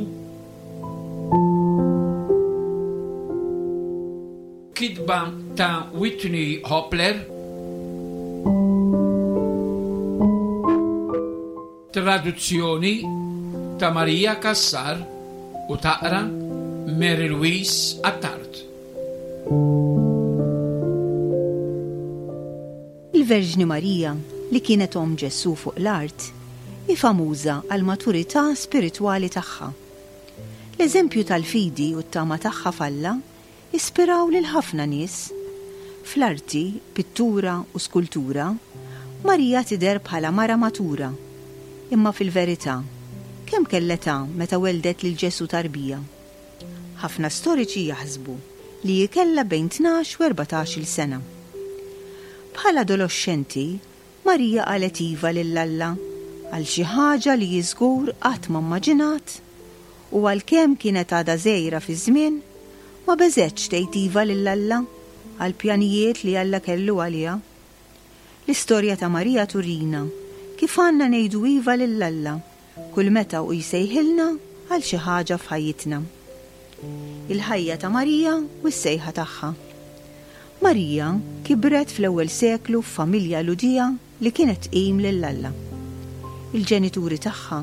Kitba ta' Whitney Hopler. Traduzzjoni ta' Maria Cassar u taqra Mary Louise Attard. Il-Verġni Marija. li kienet omm Ġesù fuq l-art, hi famuża għall-maturità spiritwali tagħha. L-eżempju tal-fidi u t-tama tagħha f'Alla ispiraw lil ħafna nies. Fl-arti, pittura u skultura, Marija tidher bħala mara matura. Imma fil-verità, kemm kellha età meta welldet lil Ġesù tarbija? Ħafna storiċi jaħsbu li hi kellha bejn 12 u 14-il sena. Bħala adoloxxenti, Marija qalet iva lil Alla għal xi ħaġa li hi żgur qatt ma mmaġinat u għalkemm kienet għadha żgħira fiż-żmien, ma beżgħetx tgħid iva lil Alla għall-pjanijiet li Alla kellu għaliha. L-istorja ta' Marija turina kif għandna ngħidu iva lil Alla kull meta hu jsejħilna għal xi ħaġa f'ħajjitna. Il-ħajja ta' Marija u s-sejħa tagħha. Marija kibret fl-ewwel seklu f'familja Lhudija li kienet tqim lil Alla. Il-ġenituri tagħha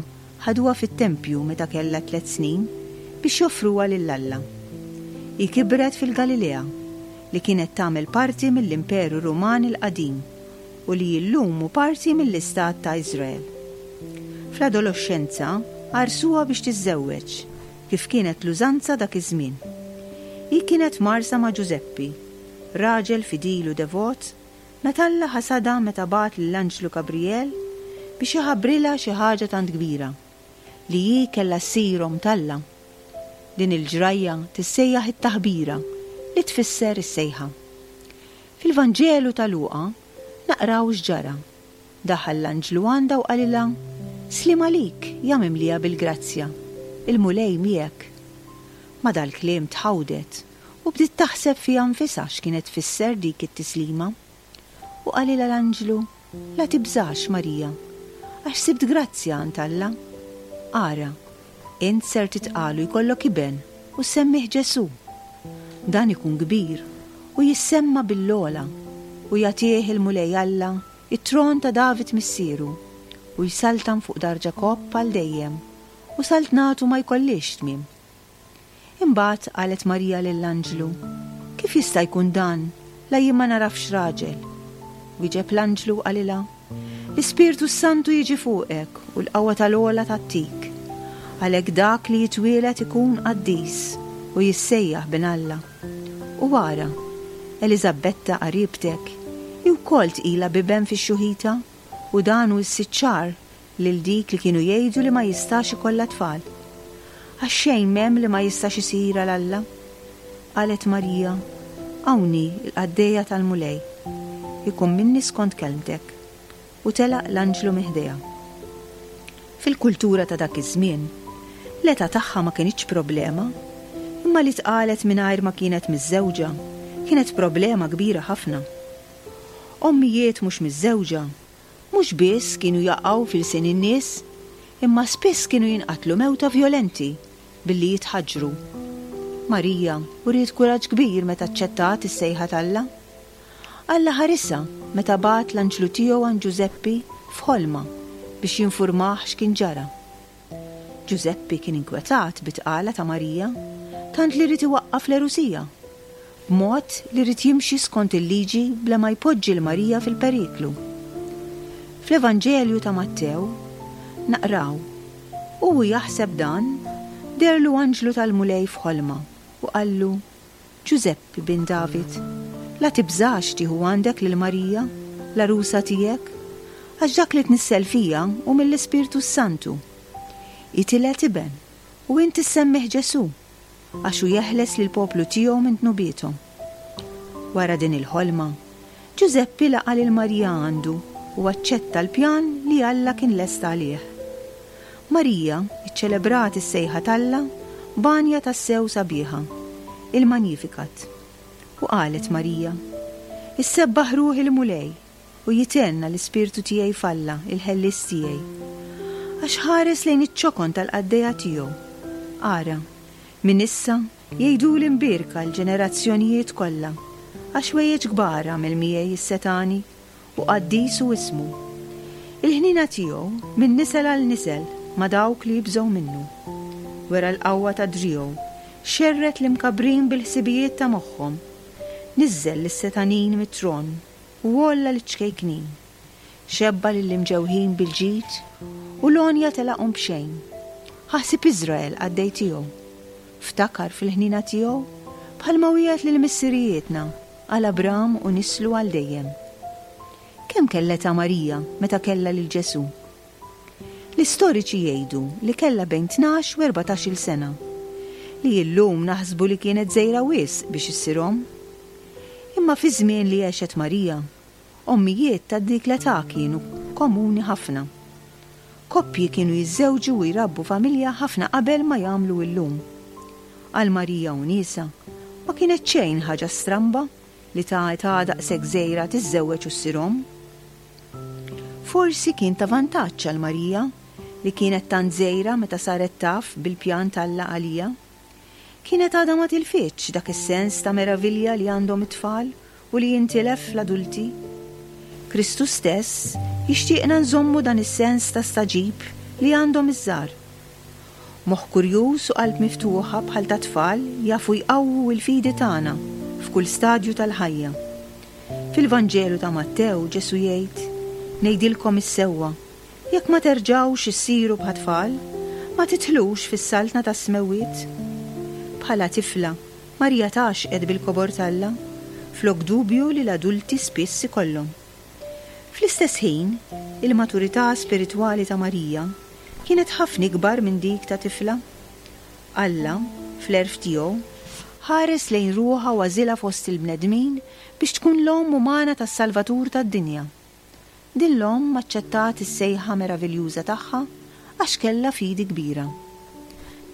ħaduha fit-tempju meta kellha tlett snin biex joffruha lil Alla. Hi kibret fil-Galilea, li kienet tagħmel parti mill-Imperu Ruman il-Qadim u li llum hu parti mill-istat ta' Iżrael. Fl-adoloxxenza għarrsuha biex tiżżewweġ, kif kienet l-użanza dak iż-żmien. Hi kienet mgħarrsa ma' Ġużeppi, raġel fidil u devot, meta Alla ħasadha meta bagħat lill-anġlu Gabrijel biex iħabbrilha xi ħaġa tant kbira, li hi kellha ssir omm t'Alla. Din il-ġrajja tissejjaħ it-taħbira, li tfisser is-sejħa. Fil-Vanġelu ta' Luqa naqraw x'ġara. Daħal l-anġlu għandha u qalilha, Sliem għalik, ja mimlija bil-grazzja, il-Mulej miegħek. Ma' dal-kliem tħawdet u bdiet taħseb fiha nfisha x'kienet tfisser dik it-tislima. U qalilha l-anġlu, La tibżax, Marija, għax sibt grazzja għand Alla. Ara, int ser titqal u jkollok iben u ssemmih Ġesù. Dan ikun kbir u jissemma bil-ogħla, u jagħtih il-Mulej Alla t-tron ta' David missieru, u jsaltan fuq dar Ġakobb għal dejjem, u saltnatu ma jkollhiex tmiem. Imbagħad qalet Marija lill-anġlu, Kif jista' jkun dan, la jien ma nagħrafx raġel? Wieġeb l-anġlu u qalilha, L-Ispirtu s-Santu jiġi fuqek u l-qawwa tal-Ogħla tgħattik. Għalhekk dak li jitwieled ikun qaddis u jissejjaħ Bin Alla. U ara, Eliżabbetta qaribtek, hi wkoll tqila b'iben fix-xjuħita, u dan hu s-sitt xahar lil dik li kienu jgħidu li ma jistax ikollha tfal. Għax xejn m'hemm li ma jistax isir għal Alla. Qalet Marija, Hawn hi l-qaddejja tal-Mulej. Ikun minni skont kelmtek. U telaq l-anġlu minn ħdejha. Fil-kultura ta' dak iż-żmien, l-età tagħha ma kinitx problema, imma li tqalet mingħajr ma kienet miżżewġa kienet problema kbira ħafna. Ommijiet mhux miżżewġa Mhux biss kienu jaqgħu f'ilsien in-nies, imma spiss kienu jinqatlu mewta vjolenti billi jitħaġġru. Marija uriet kuraġġ kbir meta aċċettat is-sejħa t'Alla. Alla ħarisha meta bagħat l-anġlu tiegħu għand Ġużeppi f'ħolma biex jinfurmah x'kien ġara. Ġużeppi kien inkwetat bit-tqala ta' Marija, tant li ried iwaqqaf l-għerusija, b'mod li ried jimxi skont il-liġi bla ma jpoġġi 'l Marija fil-periklu. Fl-Evanġelju ta' Mattew naqraw, U hu jaħseb dan, deherlu anġlu tal-Mulej f'ħolma u qallu, Ġużeppi, bin David, la tibżax tieħu għandek lil Marija, l-għarusa tiegħek, għax dak li tnissel fiha hu mill-Ispirtu s-Santu. Hi tiled iben, u int issemmih Ġesù, għax hu jeħles lill-poplu tiegħu minn dnubiethom. Wara din il-ħolma, Ġużeppi laqa' lil Marija għandu u aċċetta l-pjan li Alla kien lesta għalih. Marija ċċelebrat is-sejħa t'Alla b'għanja tassew sabiħa, il-Magnificat. U qalet Marija, Issebbaħ ruħi l-Mulej, u jithenna l-ispirtu tiegħi f'Alla, il-Ħellies tiegħi. Għax ħares lejn iċ-ċokon tal-qaddejja tiegħu. Ara, minn issa jgħiduli mbierka l-ġenerazzjonijiet kollha, għax ħwejjeġ kbar għamel miegħi s-Setgħani, u qaddis hu ismu. Il-ħniena tiegħu minn nisel għal nisel ma' dawk li jibżgħu minnu. Wera l-qawwa ta' driegħu, xerred l-imkabbrin bil-ħsibijiet ta' moħħhom. Niżżel lis-setgħanin mit-tron u għolla liċ-ċkejknin. Xebba' lill-imġewħin bil-ġid, u l-għonja telaqhom b'xejn. Ħa ħsieb Iżrael qaddej tiegħu. Ftakar fil-ħniena tiegħu, bħalma wiegħed lil missirijietna, għal Abram u nislu għal dejjem. Kemm kellha età Marija meta kellha lil Ġesù? L-istoriċi jgħidu li kellha bejn 12 u 14-il sena, li illum naħsbu li kienet żgħira wisq biex issir omm. Imma fiż-żmien li għexet Marija, ommijiet ta' dik l-età kienu komuni ħafna. Koppji kienu jiżżewġu u jrabbu familja ħafna qabel ma jagħmlu illum. Għal Marija u niesha, ma kienet xejn ħaġa stramba li ta' età daqshekk żgħira tiżżewweġ u ssir omm. Forsi kien ta' vantaġġ għal Marija li kienet tant żgħira meta saret taf bil-pjan t'Alla għaliha. Kienet għadha ma tilfitx dak is-sens ta' meravilja li għandhom it-tfal u li jintilef fl-adulti. Kristu stess jixtieqna nżommu dan is-sens ta' stagħġib li għandhom iż-żgħar. Moħħ kurjuż u qalb miftuħa bħal tat-tfal jafu jqawwu l-fidi tagħna f'kull stadju tal-ħajja. Fil-Vanġelu ta' Mattew Ġesù jgħid, Ngħidilkom is-sewwa, jekk ma terġgħux issiru bħat-tfal, ma tidħlux fis-saltna tas-smewwiet. Bħala tifla, Marija tgħaxxqet bil-kobor t'Alla, flok dubju li l-adulti spiss ikollhom. Fl-istess ħin, il-maturità spiritwali ta' Marija kienet ħafna ikbar minn dik ta' tifla. Alla, fl-għerf tiegħu, ħares lejn ruħha u għażilha fost il-bnedmin biex tkun l-omm umana tas-Salvatur tad-dinja. Din l-omm aċċettat is-sejħa meraviljuża tagħha għax kellha fidi kbira.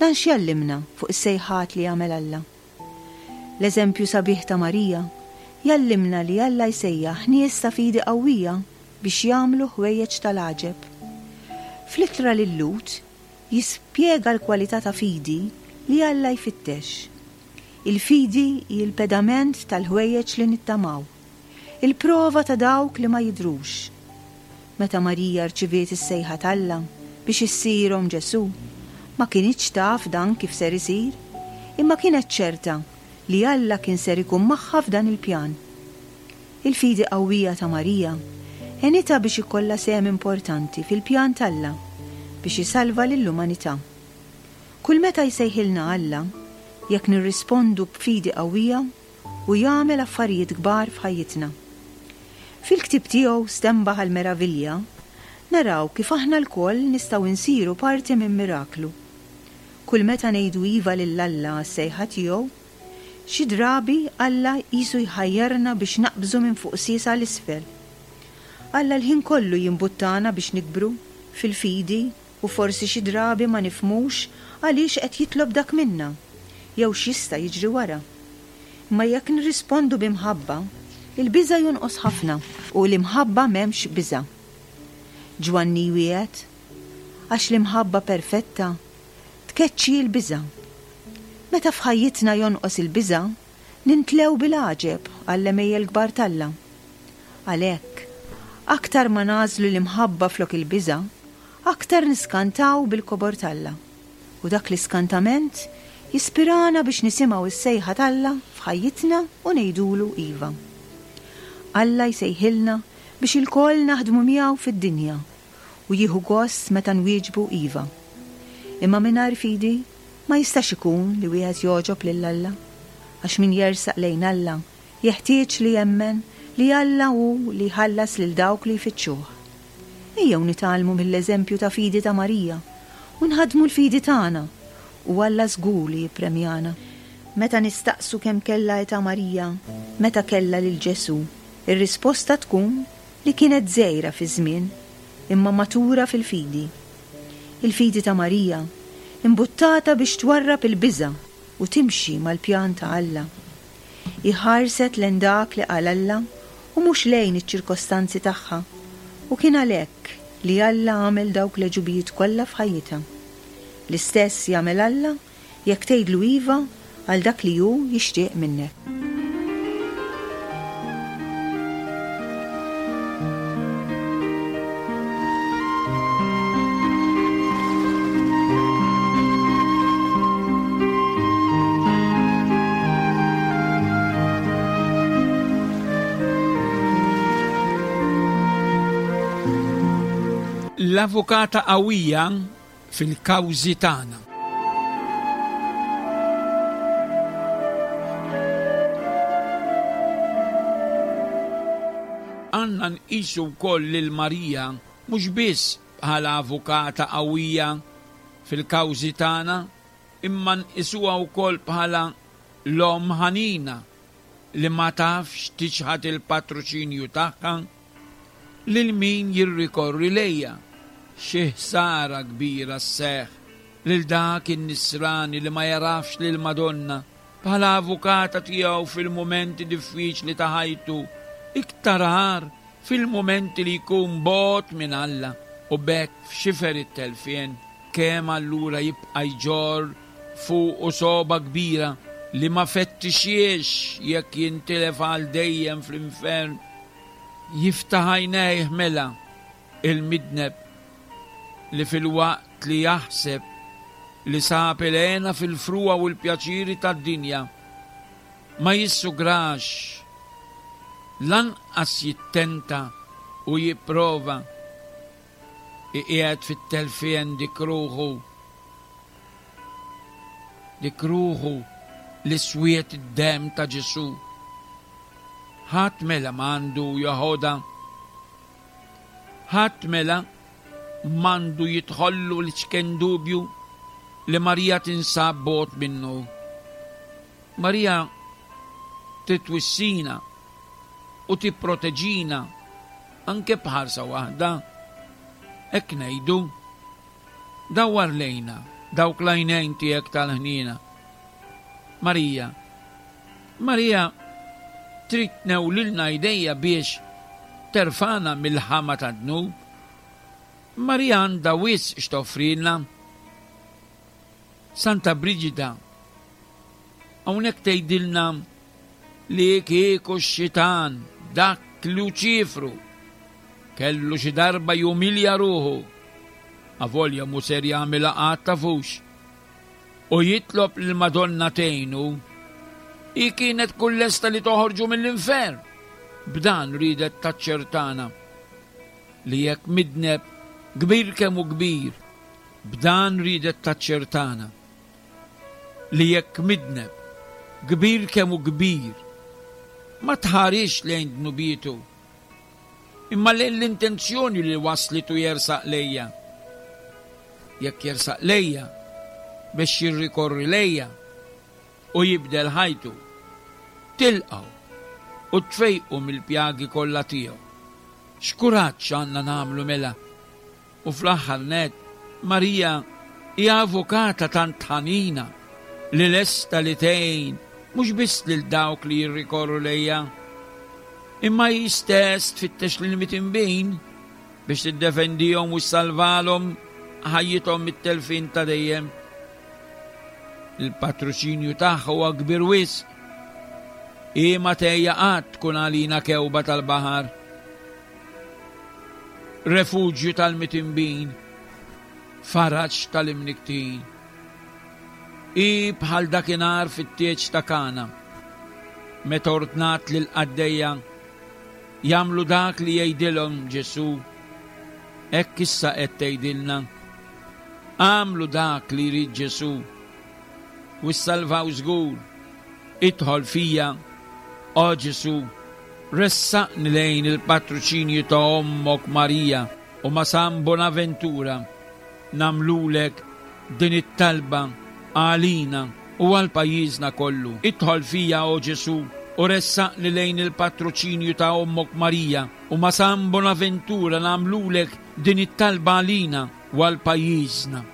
Dan x'jgħallimna fuq is-sejħat li jagħmel Alla? L-eżempju sabiħ ta' Marija jgħallimna li Alla jsejjaħ nies ta' fidi qawwija biex jagħmlu ħwejjeġ tal-għaġeb. Fl-ittra lil-Lhud, jispjega l-kwalità ta' fidi li Alla jfittex. Il-fidi hi l-pedament tal-ħwejjeġ li nittamaw, il-prova ta' dawk li ma jidhrux. Meta Marija rċiviet is-sejħa t'Alla biex issir omm Ġesù, ma kinitx taf dan kif ser isir, imma kienet ċerta li Alla kien ser ikun magħha f'dan il-pjan. Il-fidi qawwija ta' Marija għenitha biex ikollha sehem importanti fil-pjan t'Alla biex isalva lill-umanità. Kull meta jsejħilna Alla, jekk nirrispondu b'fidi qawwija, hu jagħmel affarijiet kbar f'ħajjitna. Fil-ktieb tiegħu Stenbaħ għall-Meravilja, naraw kif aħna lkoll nistgħu nsiru parti minn miraklu. Kull meta ngħidu iva lil Alla għas-sejħa tiegħu, Xi drabi Alla qisu jħajjarna biex naqbżu minn fuq sies għal isfel. Alla l-ħin kollu jimbuttana biex nikbru fil-fidi u forsi xi drabi ma nifhmux għaliex qed jitlob dak minna jew x'jista' jiġri wara. Imma jekk nirrispondu bi mħabba, il-biża' jonqos ħafna u l-imħabba m'hemmx biża'. Ġwanni jwiegħed, Għax l-imħabba perfetta tkeċċi l-biża'. Meta f'ħajjitna jonqos il-biża', nintlew bil-għaġeb għall-għemejjel kbar t'Alla. Għalhekk, aktar ma nagħżlu l-imħabba flok il-biża', aktar niskantaw bil-kobor t'Alla. U dak l-iskantament jispirana biex nisimgħu s-sejħa t'Alla f'ħajjitna u ngħidulu iva. Alla jsejħilna biex ilkoll naħdmu miegħu fid-dinja u jieħu gost meta nwieġbu iva. Imma mingħajr fidi ma jistax ikun li wieħed jogħġob lil Alla, għax min jersaq lejn Alla jeħtieġ li jemmen li Alla hu li jħallas lil dawk li jfittxuh. Ejjew nitgħallmu mill-eżempju ta' fidi ta' Marija u nħaddmu l-fidi tagħna, u Alla żgur li jippremjana. Meta nistaqsu kemm kellha età Marija meta kellha lil Ġesù, ir-risposta tkun li kienet żgħira fiż-żmien, imma matura fil-fidi. Il-fidi ta' Marija, imbuttata biex twarrab il-biża' u timxi mal-pjan ta' Alla. Hi ħarset lejn dak li qal Alla u mhux lejn iċ-ċirkostanzi tagħha, u kien għalhekk li Alla għamel dawk l-għeġubijiet kollha f'ħajjitha. L-istess jagħmel Alla Jekk tgħidlu iva għal dak li hu jixtieq minnek. L-avukata qawwija fil-kawżi tagħna. Għandna nqisu wkoll lil Marija mhux biss bħala avukata qawwija fil-kawżi tagħna imma nqisuha wkoll bħala l-Omm ħanina li ma tafx tiċħad il-patroċinju tagħha lil min jirrikorri lejha. Xi ħsara kbira sseħħ lil dak in-Nisrani li ma jagħrafx lill-Madonna bħala avukata tiegħu fil-mumenti diffiċli ta' ħajtu, iktar agħar fil-mumenti li jkun bogħod minn Alla u b'hekk f'xifer it-telfien. Kemm allura jibqa' jġorr fuqu sogħba kbira li ma fettixhiex jekk jintilef għal dejjem fl-infern. Jiftaħ għajnejh mela il-midneb li filwaqt li jaħseb li sab il-hena fil-frugħa u l-pjaċiri tad-dinja, ma jissugrax, lanqas jittenta u jipprova iqiegħed fit-telfien dik ruħu, dik ruħu li swiet id-demm ta' Ġesù. Ħadd mela m'għandu joħodha. Ħadd mela m'għandu jidħollu l-iċken dubju li Marija tinsab bogħod minnu. Marija titwissina u tipproteġina anke b'ħarsa waħda. Hekk ngħidu, Dawwar lejna dawk l-għajnejn tiegħek tal-ħniena. Marija, Marija trid tnewlilna jdejha biex terfagħna mill-ħama tad-dnub. Marija għandha wisq x'toffrilna. Santa Briġida hawnhekk tgħidilna li kieku x-xitan dak Luċifru kellu xi darba jumilja ruħu, avolja mhu ser jagħmilha qatt tafux, u jitlob lill-Madonna tgħinu, hi kienet tkun lesta li toħorġu mill-infern. B'dan riedet taċċertana li jekk midneb kbir kemm hu kbir, b'dan riedet taċċertana li jekk midneb kbir kemm hu kbir, ma tħarisx lejn dnubietu, imma lejn l-intenzjoni li wasslitu jersaq lejja. Jekk jersaq lejja biex jirrikorri lejja u jibdel ħajtu, tilqgħu u tfejqu mill-pjagi kollha tiegħu. X'kuraġġ għandna nagħmlu mela U fl-aħħar nett, Marija hija avukata tant ħanina li lesta li tgħin mhux biss lil dawk li jirrikorru lejha, imma hi stess tfittex lill-mitinbin biex tiddefendihom u ssalvalhom ħajjithom mit-telfien ta' dejjem. Il-patroċinju tagħha huwa kbir wisq. Hi ma tgħejja qatt tkun għalina kewba tal-baħar. Refuġju tal-mitinbin, faraġ tal-imnikktin. Hi bħal dakinhar fit-tieġ ta' Kana, meta ordnat lill-qaddejja jagħmlu dak li jgħidilhom Ġesù. Hekk issa qed tgħidilna, Agħmlu dak li jrid Ġesù u ssalvaw żgur. Idħol fija, O Ġesù, ressaqni lejn il-patroċinju ta' Ommok Marija u ma' San Bonaventura nagħmlulek din it-talba għalina u għal pajjiżna kollu. Idħol fija, O Ġesù, u ressaqni lejn il-patroċinju ta' Ommok Marija u ma' San Bonaventura nagħmlulek din it-talba għalina u għal pajjiżna.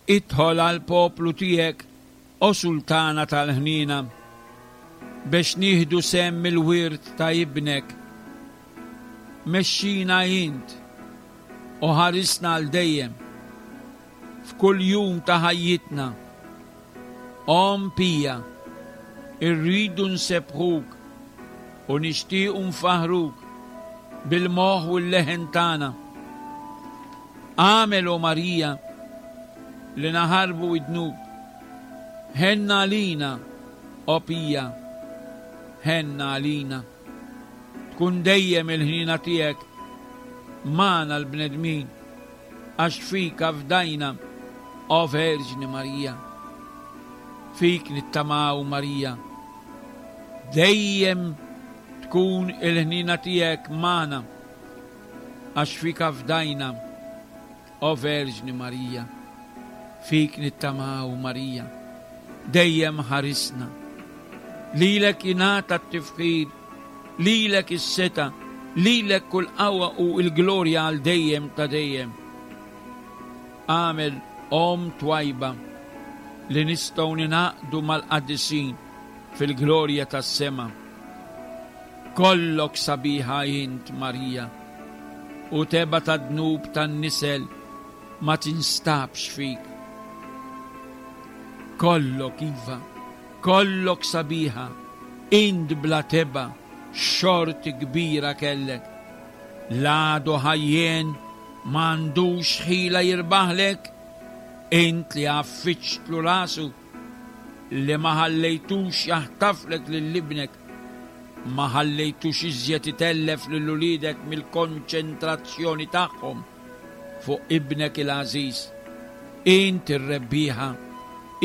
Idħol għall-poplu tiegħek O Sultana tal-ħniena, bex nieħdu sehem mill-wirt ta' Ibnek, mexxina int u ħarisna għal dejjem f'kull jum ta' ħajjitna. Omm pija, Irridu nsebbħuk u nixtiequ nfaħħruk bil-moħħ u l-leħen tagħna. Agħmel, o Marija, li naħarbu d-dnub. Ħenna għalina, o Pija, ħenna għalina. Tkun dejjem il-ħniena tiegħek magħna l-bnedmin, għax fik afdajna, o Verġni Marija. Fik nittamaw, Marija. Dejjem tkun il-ħniena tiegħek magħna, għax fik afdajna, O Verġni Marija. Fik nittamaw, Marija. Dejjem ħarisna. Lilek jingħata t-tifħir, lilek is-setgħa, lilek kull qawwa u l-glorja għal dejjem ta' dejjem. Agħmel Omm twajba li nistgħu ningħaqdu mal-qaddisin fil-glorja tas-sema. Kollok sabiħa int, Marija, u tebgħa tad-dnub tan-nisel ma tinstabx fik. Kollok, iva, kollok sabiħa, int bla tebgħa, x'xorti kbira kellek. L-għadu ħajjien m'għandux ħila jirbaħlek, int li għaffiġtlu rasu, li ma ħallejtux jaħtaflek lil ibnek, ma ħallejtux iżjed itellef lil uliedek mill-konċentrazzjoni tagħhom fuq ibnek il-għażiż. Int ir-rebbieħa,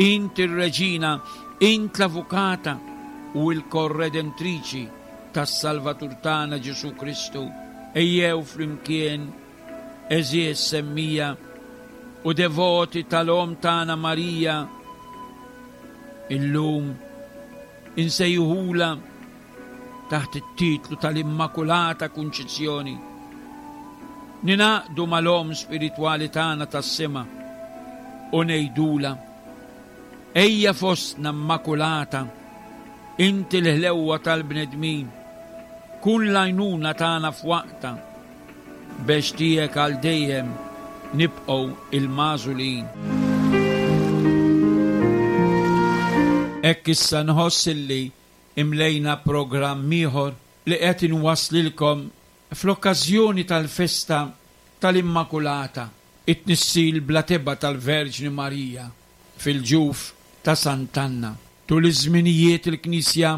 int ir-reġina, int l-avukata u l-korredentriċi tas-Salvatur tagħna Ġesù Kristu. Ejjew flimkien, għeżież semmija u devoti tal-Omm tagħna Marija, illum insejħulha taħt it-titlu tal-Immakulata Kunċizzjoni. Ningħaqdu mal-Omm Spiritwali tagħna tas-Sema u ngħidulha, Ejja fostna Mmakulata, inti l-ħlewwa tal-bnedmin, kun l-għajnuna tagħna f'waqtha, bex tiegħek għal dejjem nibqgħu il-magħżulin. Hekk issa nħoss illi imlejna programm ieħor li qed inwasslilkom fl-okkażjoni tal-festa tal-Immakulata, it-tnissil bla tebgħa tal-Verġni Marija fil-ġuf ta' Sant'Anna. Tul iż-żminijiet il-Knisja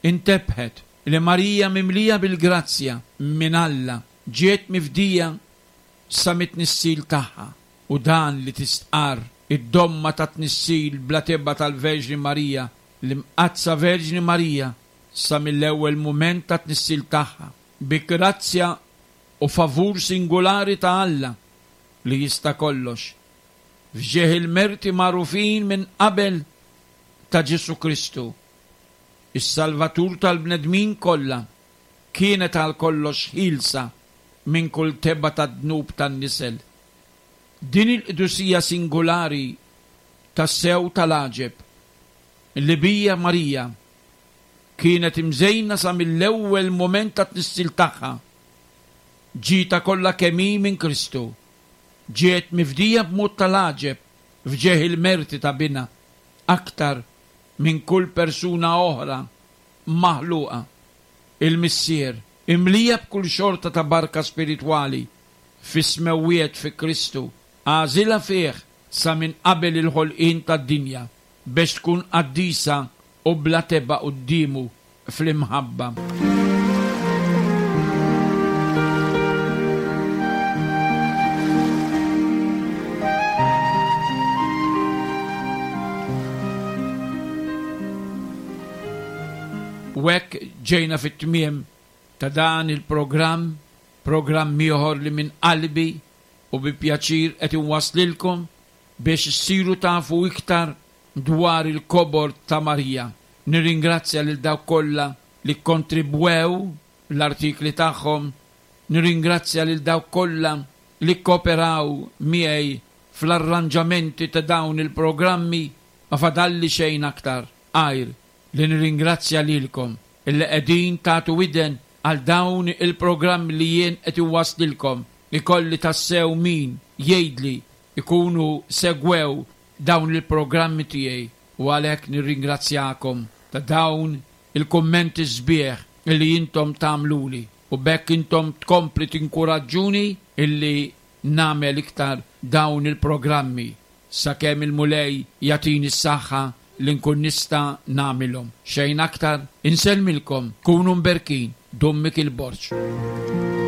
intebħet li Marija mimlija bil-grazzja minn Alla ġiet mifdija sa mit-tnissil tagħha u dan li tistqarr id-domma tat-tnissil bla tebgħa tal-Verġni Marija, l-Imqaddsa Verġni Marija sa mill-ewwel mument tat-tnissil tagħha, bi grazzja u favur singulari ta' Alla li jista' kollox, f'ġieħ il-merti magħrufin minn qabel ta' Ġesù Kristu, is-Salvatur tal-bnedmin kollha, kienet għal kollox ħielsa minn kull tebgħa tad-dnub tan-nisel. Din il-qdusija singulari tassew tal-għaġeb li bija Marija kienet imżejna sa mill-ewwel mument tat-tnissil tagħha, ġietha kollha kemm hi minn Kristu, ġiet mifdija b'mod tal-għaġeb f'ġieħ il-merti ta' Binha, aktar minn kull persuna oħra maħluqa. Il-Missier, imlija b'kull xorta ta' barka spiritwali fis-smewwiet fi Kristu, għażilha fih sa minn qabel il-ħolqien tad-dinja, bex tkun qaddisa u bla tebgħa quddiemu fl-imħabba. U hekk ġejna fit-tmiem ta' dan il-programm, programm ieħor li minn qalbi u bi pjaċir qed inwasslilkom biex issiru tafu iktar dwar il-kobor ta' Marija. Nirringrazzja lil dawk kollha li kkontribwew l-artikli tagħhom, nirringrazzja lil dawk kollha li kkooperaw miegħi fl-arranġamenti ta' dawn il-programmi, ma fadalli xejn aktar għajr li nirringrazzja lilkom illi qegħdin tagħtu widen għal dawn il-programmi li jien qed inwasslilkom. Ikolli tassew min jgħidli jkunu segwew dawn il-programmi tiegħi u għalhekk nirringrazzjakom. ta' dawn il-kummenti sbieħ illi intom tagħmluli u b'hekk intom tkompli tinkuraġġuni illi nagħmel iktar dawn il-programmi sakemm il-Mulej jagħtini s-saħħa li nkun nista' nagħmilhom. Xejn aktar, insellmilkom, kunu mberkin, Dun Mikiel Borg.